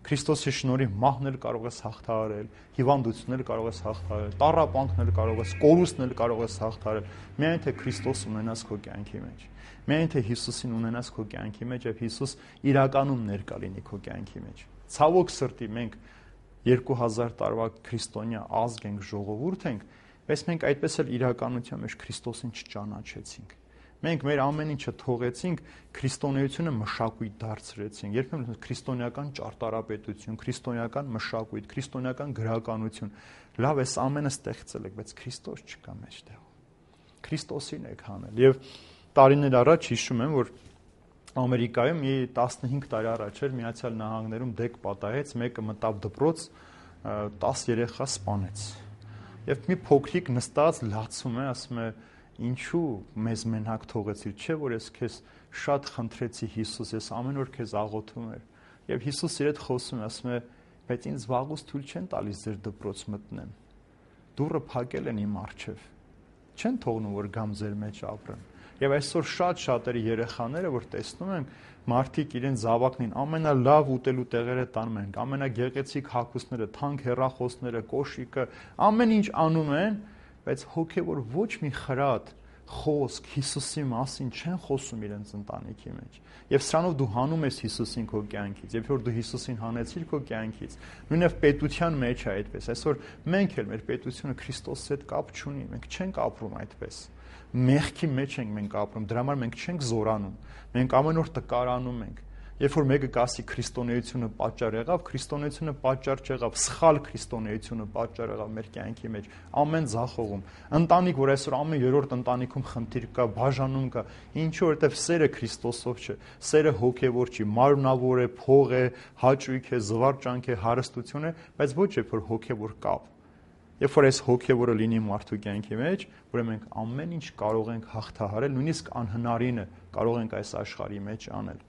Քրիստոսի շնորհիվ մահն էլ կարող ես հաղթահարել, հիվանդությունն էլ կարող ես հաղթահարել, տառապանքն էլ կարող ես, կորուստն էլ կարող ես հաղթահարել, միայն թե Քրիստոս ունենաս քո կյանքի մեջ։ Միայն թե Հիսուսին ունենաս քո կյանքի մեջ եւ Հիսուս իրականում ներկա լինի քո կյանքի մեջ։ Ցավոք սրտի մենք 2000 տարվա քրիստոնյա ազգ ենք, ժողովուրդ ենք, բայց մենք այդպես էլ իրականության մեջ Քրիստոսին չճանաչեցինք։ Մենք մեր ամեն ինչը թողեցինք, քրիստոնեությունը մշակույթ դարձրեցինք։ Երբեմն քրիստոնեական ճարտարապետություն, քրիստոնեական մշակույթ, քրիստոնեական գրականություն։ Լավ, այս ամենը ստեղծել եք, բայց Քրիստոս չկա մեջտեղ։ Քրիստոսին եք հանել։ Եվ տարիներ առաջ հիշում եմ, որ Ամերիկայում մի 15 տարի առաջ էր Միացյալ Նահանգներում դեկ պատահեց, մեկը մտավ դպրոց, 10 երեխա սպանեց։ Եվ մի փոքրիկ նստած լացում է, ասում է ինչու մեզ մենակ թողեցիր, չէ՞ որ ես քեզ շատ խնդրեցի Հիսուս, ես ամեն օր քեզ աղոթում եմ։ Եվ Հիսուս իր հետ խոսում է, ասում է, բայց ինձ վաղուց թույլ չեն տալիս ձեր դպրոց մտնեմ։ Դուռը փակել են իմ առջև։ Չեն թողնում որ գամ ձեր մեջ ապրեմ։ Եվ այսօր շատ-շատերի երեխաները, որ տեսնում են, մարդիկ իրենց զավակներին ամենալավ ուտելու տեղերը տանում են, ամենագեղեցիկ հագուստները, թանկ հեռախոսները, կոշիկը, ամեն ինչ անում են, բայց հոգևոր ոչ մի խրատ, խոսք Հիսուսի մասին չեն խոսում իրենց ընտանիքի մեջ։ Եվ սրանով դու հանում ես Հիսուսին քո կյանքից, երբ որ դու Հիսուսին հանեցիր քո կյանքից, նույնիսկ պետության մեջ է այդպես։ Այսօր մենք էլ մեր պետությունը Քրիստոսի հետ կապ չունի, մենք չենք ապրում այդպես։ Մեղքի մեջ ենք մենք ապրում, դրա համար մենք չենք զորանում, մենք ամեն օր տկարանում ենք։ Երբ որ մեկը կասի քրիստոնեությունը պատճառ եղավ, քրիստոնեությունը պատճառ չեղավ, սխալ քրիստոնեությունը պատճառ եղավ մեր կյանքի մեջ, ամեն ձախողում։ Ընտանիք, որ այսօր ամեն երրորդ ընտանիքում խնդիր կա, բաժանում կա, ինչու որտեվ սերը Քրիստոսով չէ, սերը հոգևոր չի, մարմնավոր է, փող է, հաճույք է, զվարճանք է, հարստություն է, բայց ոչ երբ որ հոգևոր կապ։ Երբ որ այս հոգևորը լինի մարդու կյանքի մեջ, ուրեմն մենք ամեն ինչ կարող ենք հաղթահարել, նույնիսկ անհնարինը կարող ենք այս աշխարհի մեջ անել։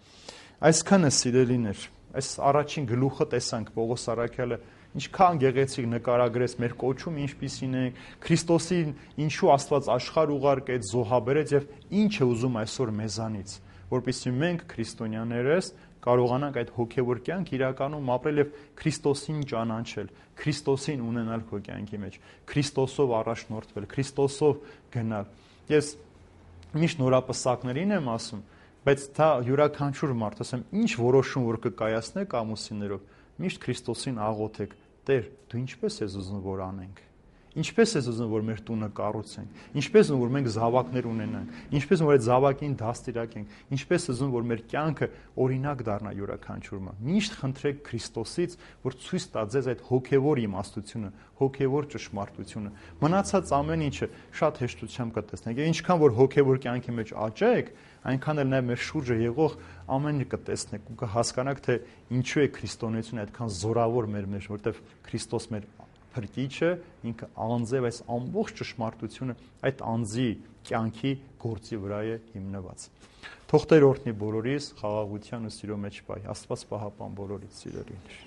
Այսքանը սիրելիներ, այս առաջին գլուխը տեսանք Պողոս Առաքյալը ինչքան գեղեցիկ նկարագրեց մեր կոչում ինչպիսին է, Քրիստոսին ինչու Աստված աշխարհ ուղարկեց, զոհաբերեց եւ ինչ է ուզում այսօր մեզանից, որպեսզի մենք քրիստոնյաներս կարողանանք այդ հոգևոր կյանք իրականում ապրել եւ Քրիստոսին ճանաչել, Քրիստոսին ունենալ քո կյանքի մեջ, Քրիստոսով առաջնորդվել, Քրիստոսով գնալ։ Ես միշտ նորապսակներին եմ ասում, բայց դա յուրաքանչյուր մարդ, ասեմ, ինչ որոշում որ կկայացնեք ամուսիններով, միշտ Քրիստոսին աղոթեք. Տեր, դու ինչպես ես ուզում որ անենք։ Ինչպես ես ուզում որ մեր տունը կառուցենք, ինչպես ուզում որ մենք զավակներ ունենանք, ինչպես որ այդ զավակին դաստիարակենք, ինչպես ուզում որ մեր կյանքը օրինակ դառնա յուրաքանչյուրը։ Միշտ խնդրեք Քրիստոսից, որ ցույց տա ձեզ այդ հոգևոր իմաստությունը, հոգևոր ճշմարտությունը։ Մնացած ամեն ինչը շատ հեշտությամբ կտեսնեք։ Եվ ինչքան որ հոգևոր կյանքի մեջ աճեք, այնքան էլ նաև մեր շուրջը եղող ամեն ինչ կտեսնեք ու կհասկանաք, թե ինչու է քրիստոնեությունը այդքան զորավոր մեր մեջ, որտեղ Քրիստոս մեր փրկիչը ինքը անձ է, այս ամբողջ ճշմարտությունը այդ անձի կյանքի գործի վրա է հիմնված։ Թող Տեր օրհնի բոլորիս խաղաղության ու սիրո մեջ բայ։ Աստված պահապան բոլորից սիրելիներ։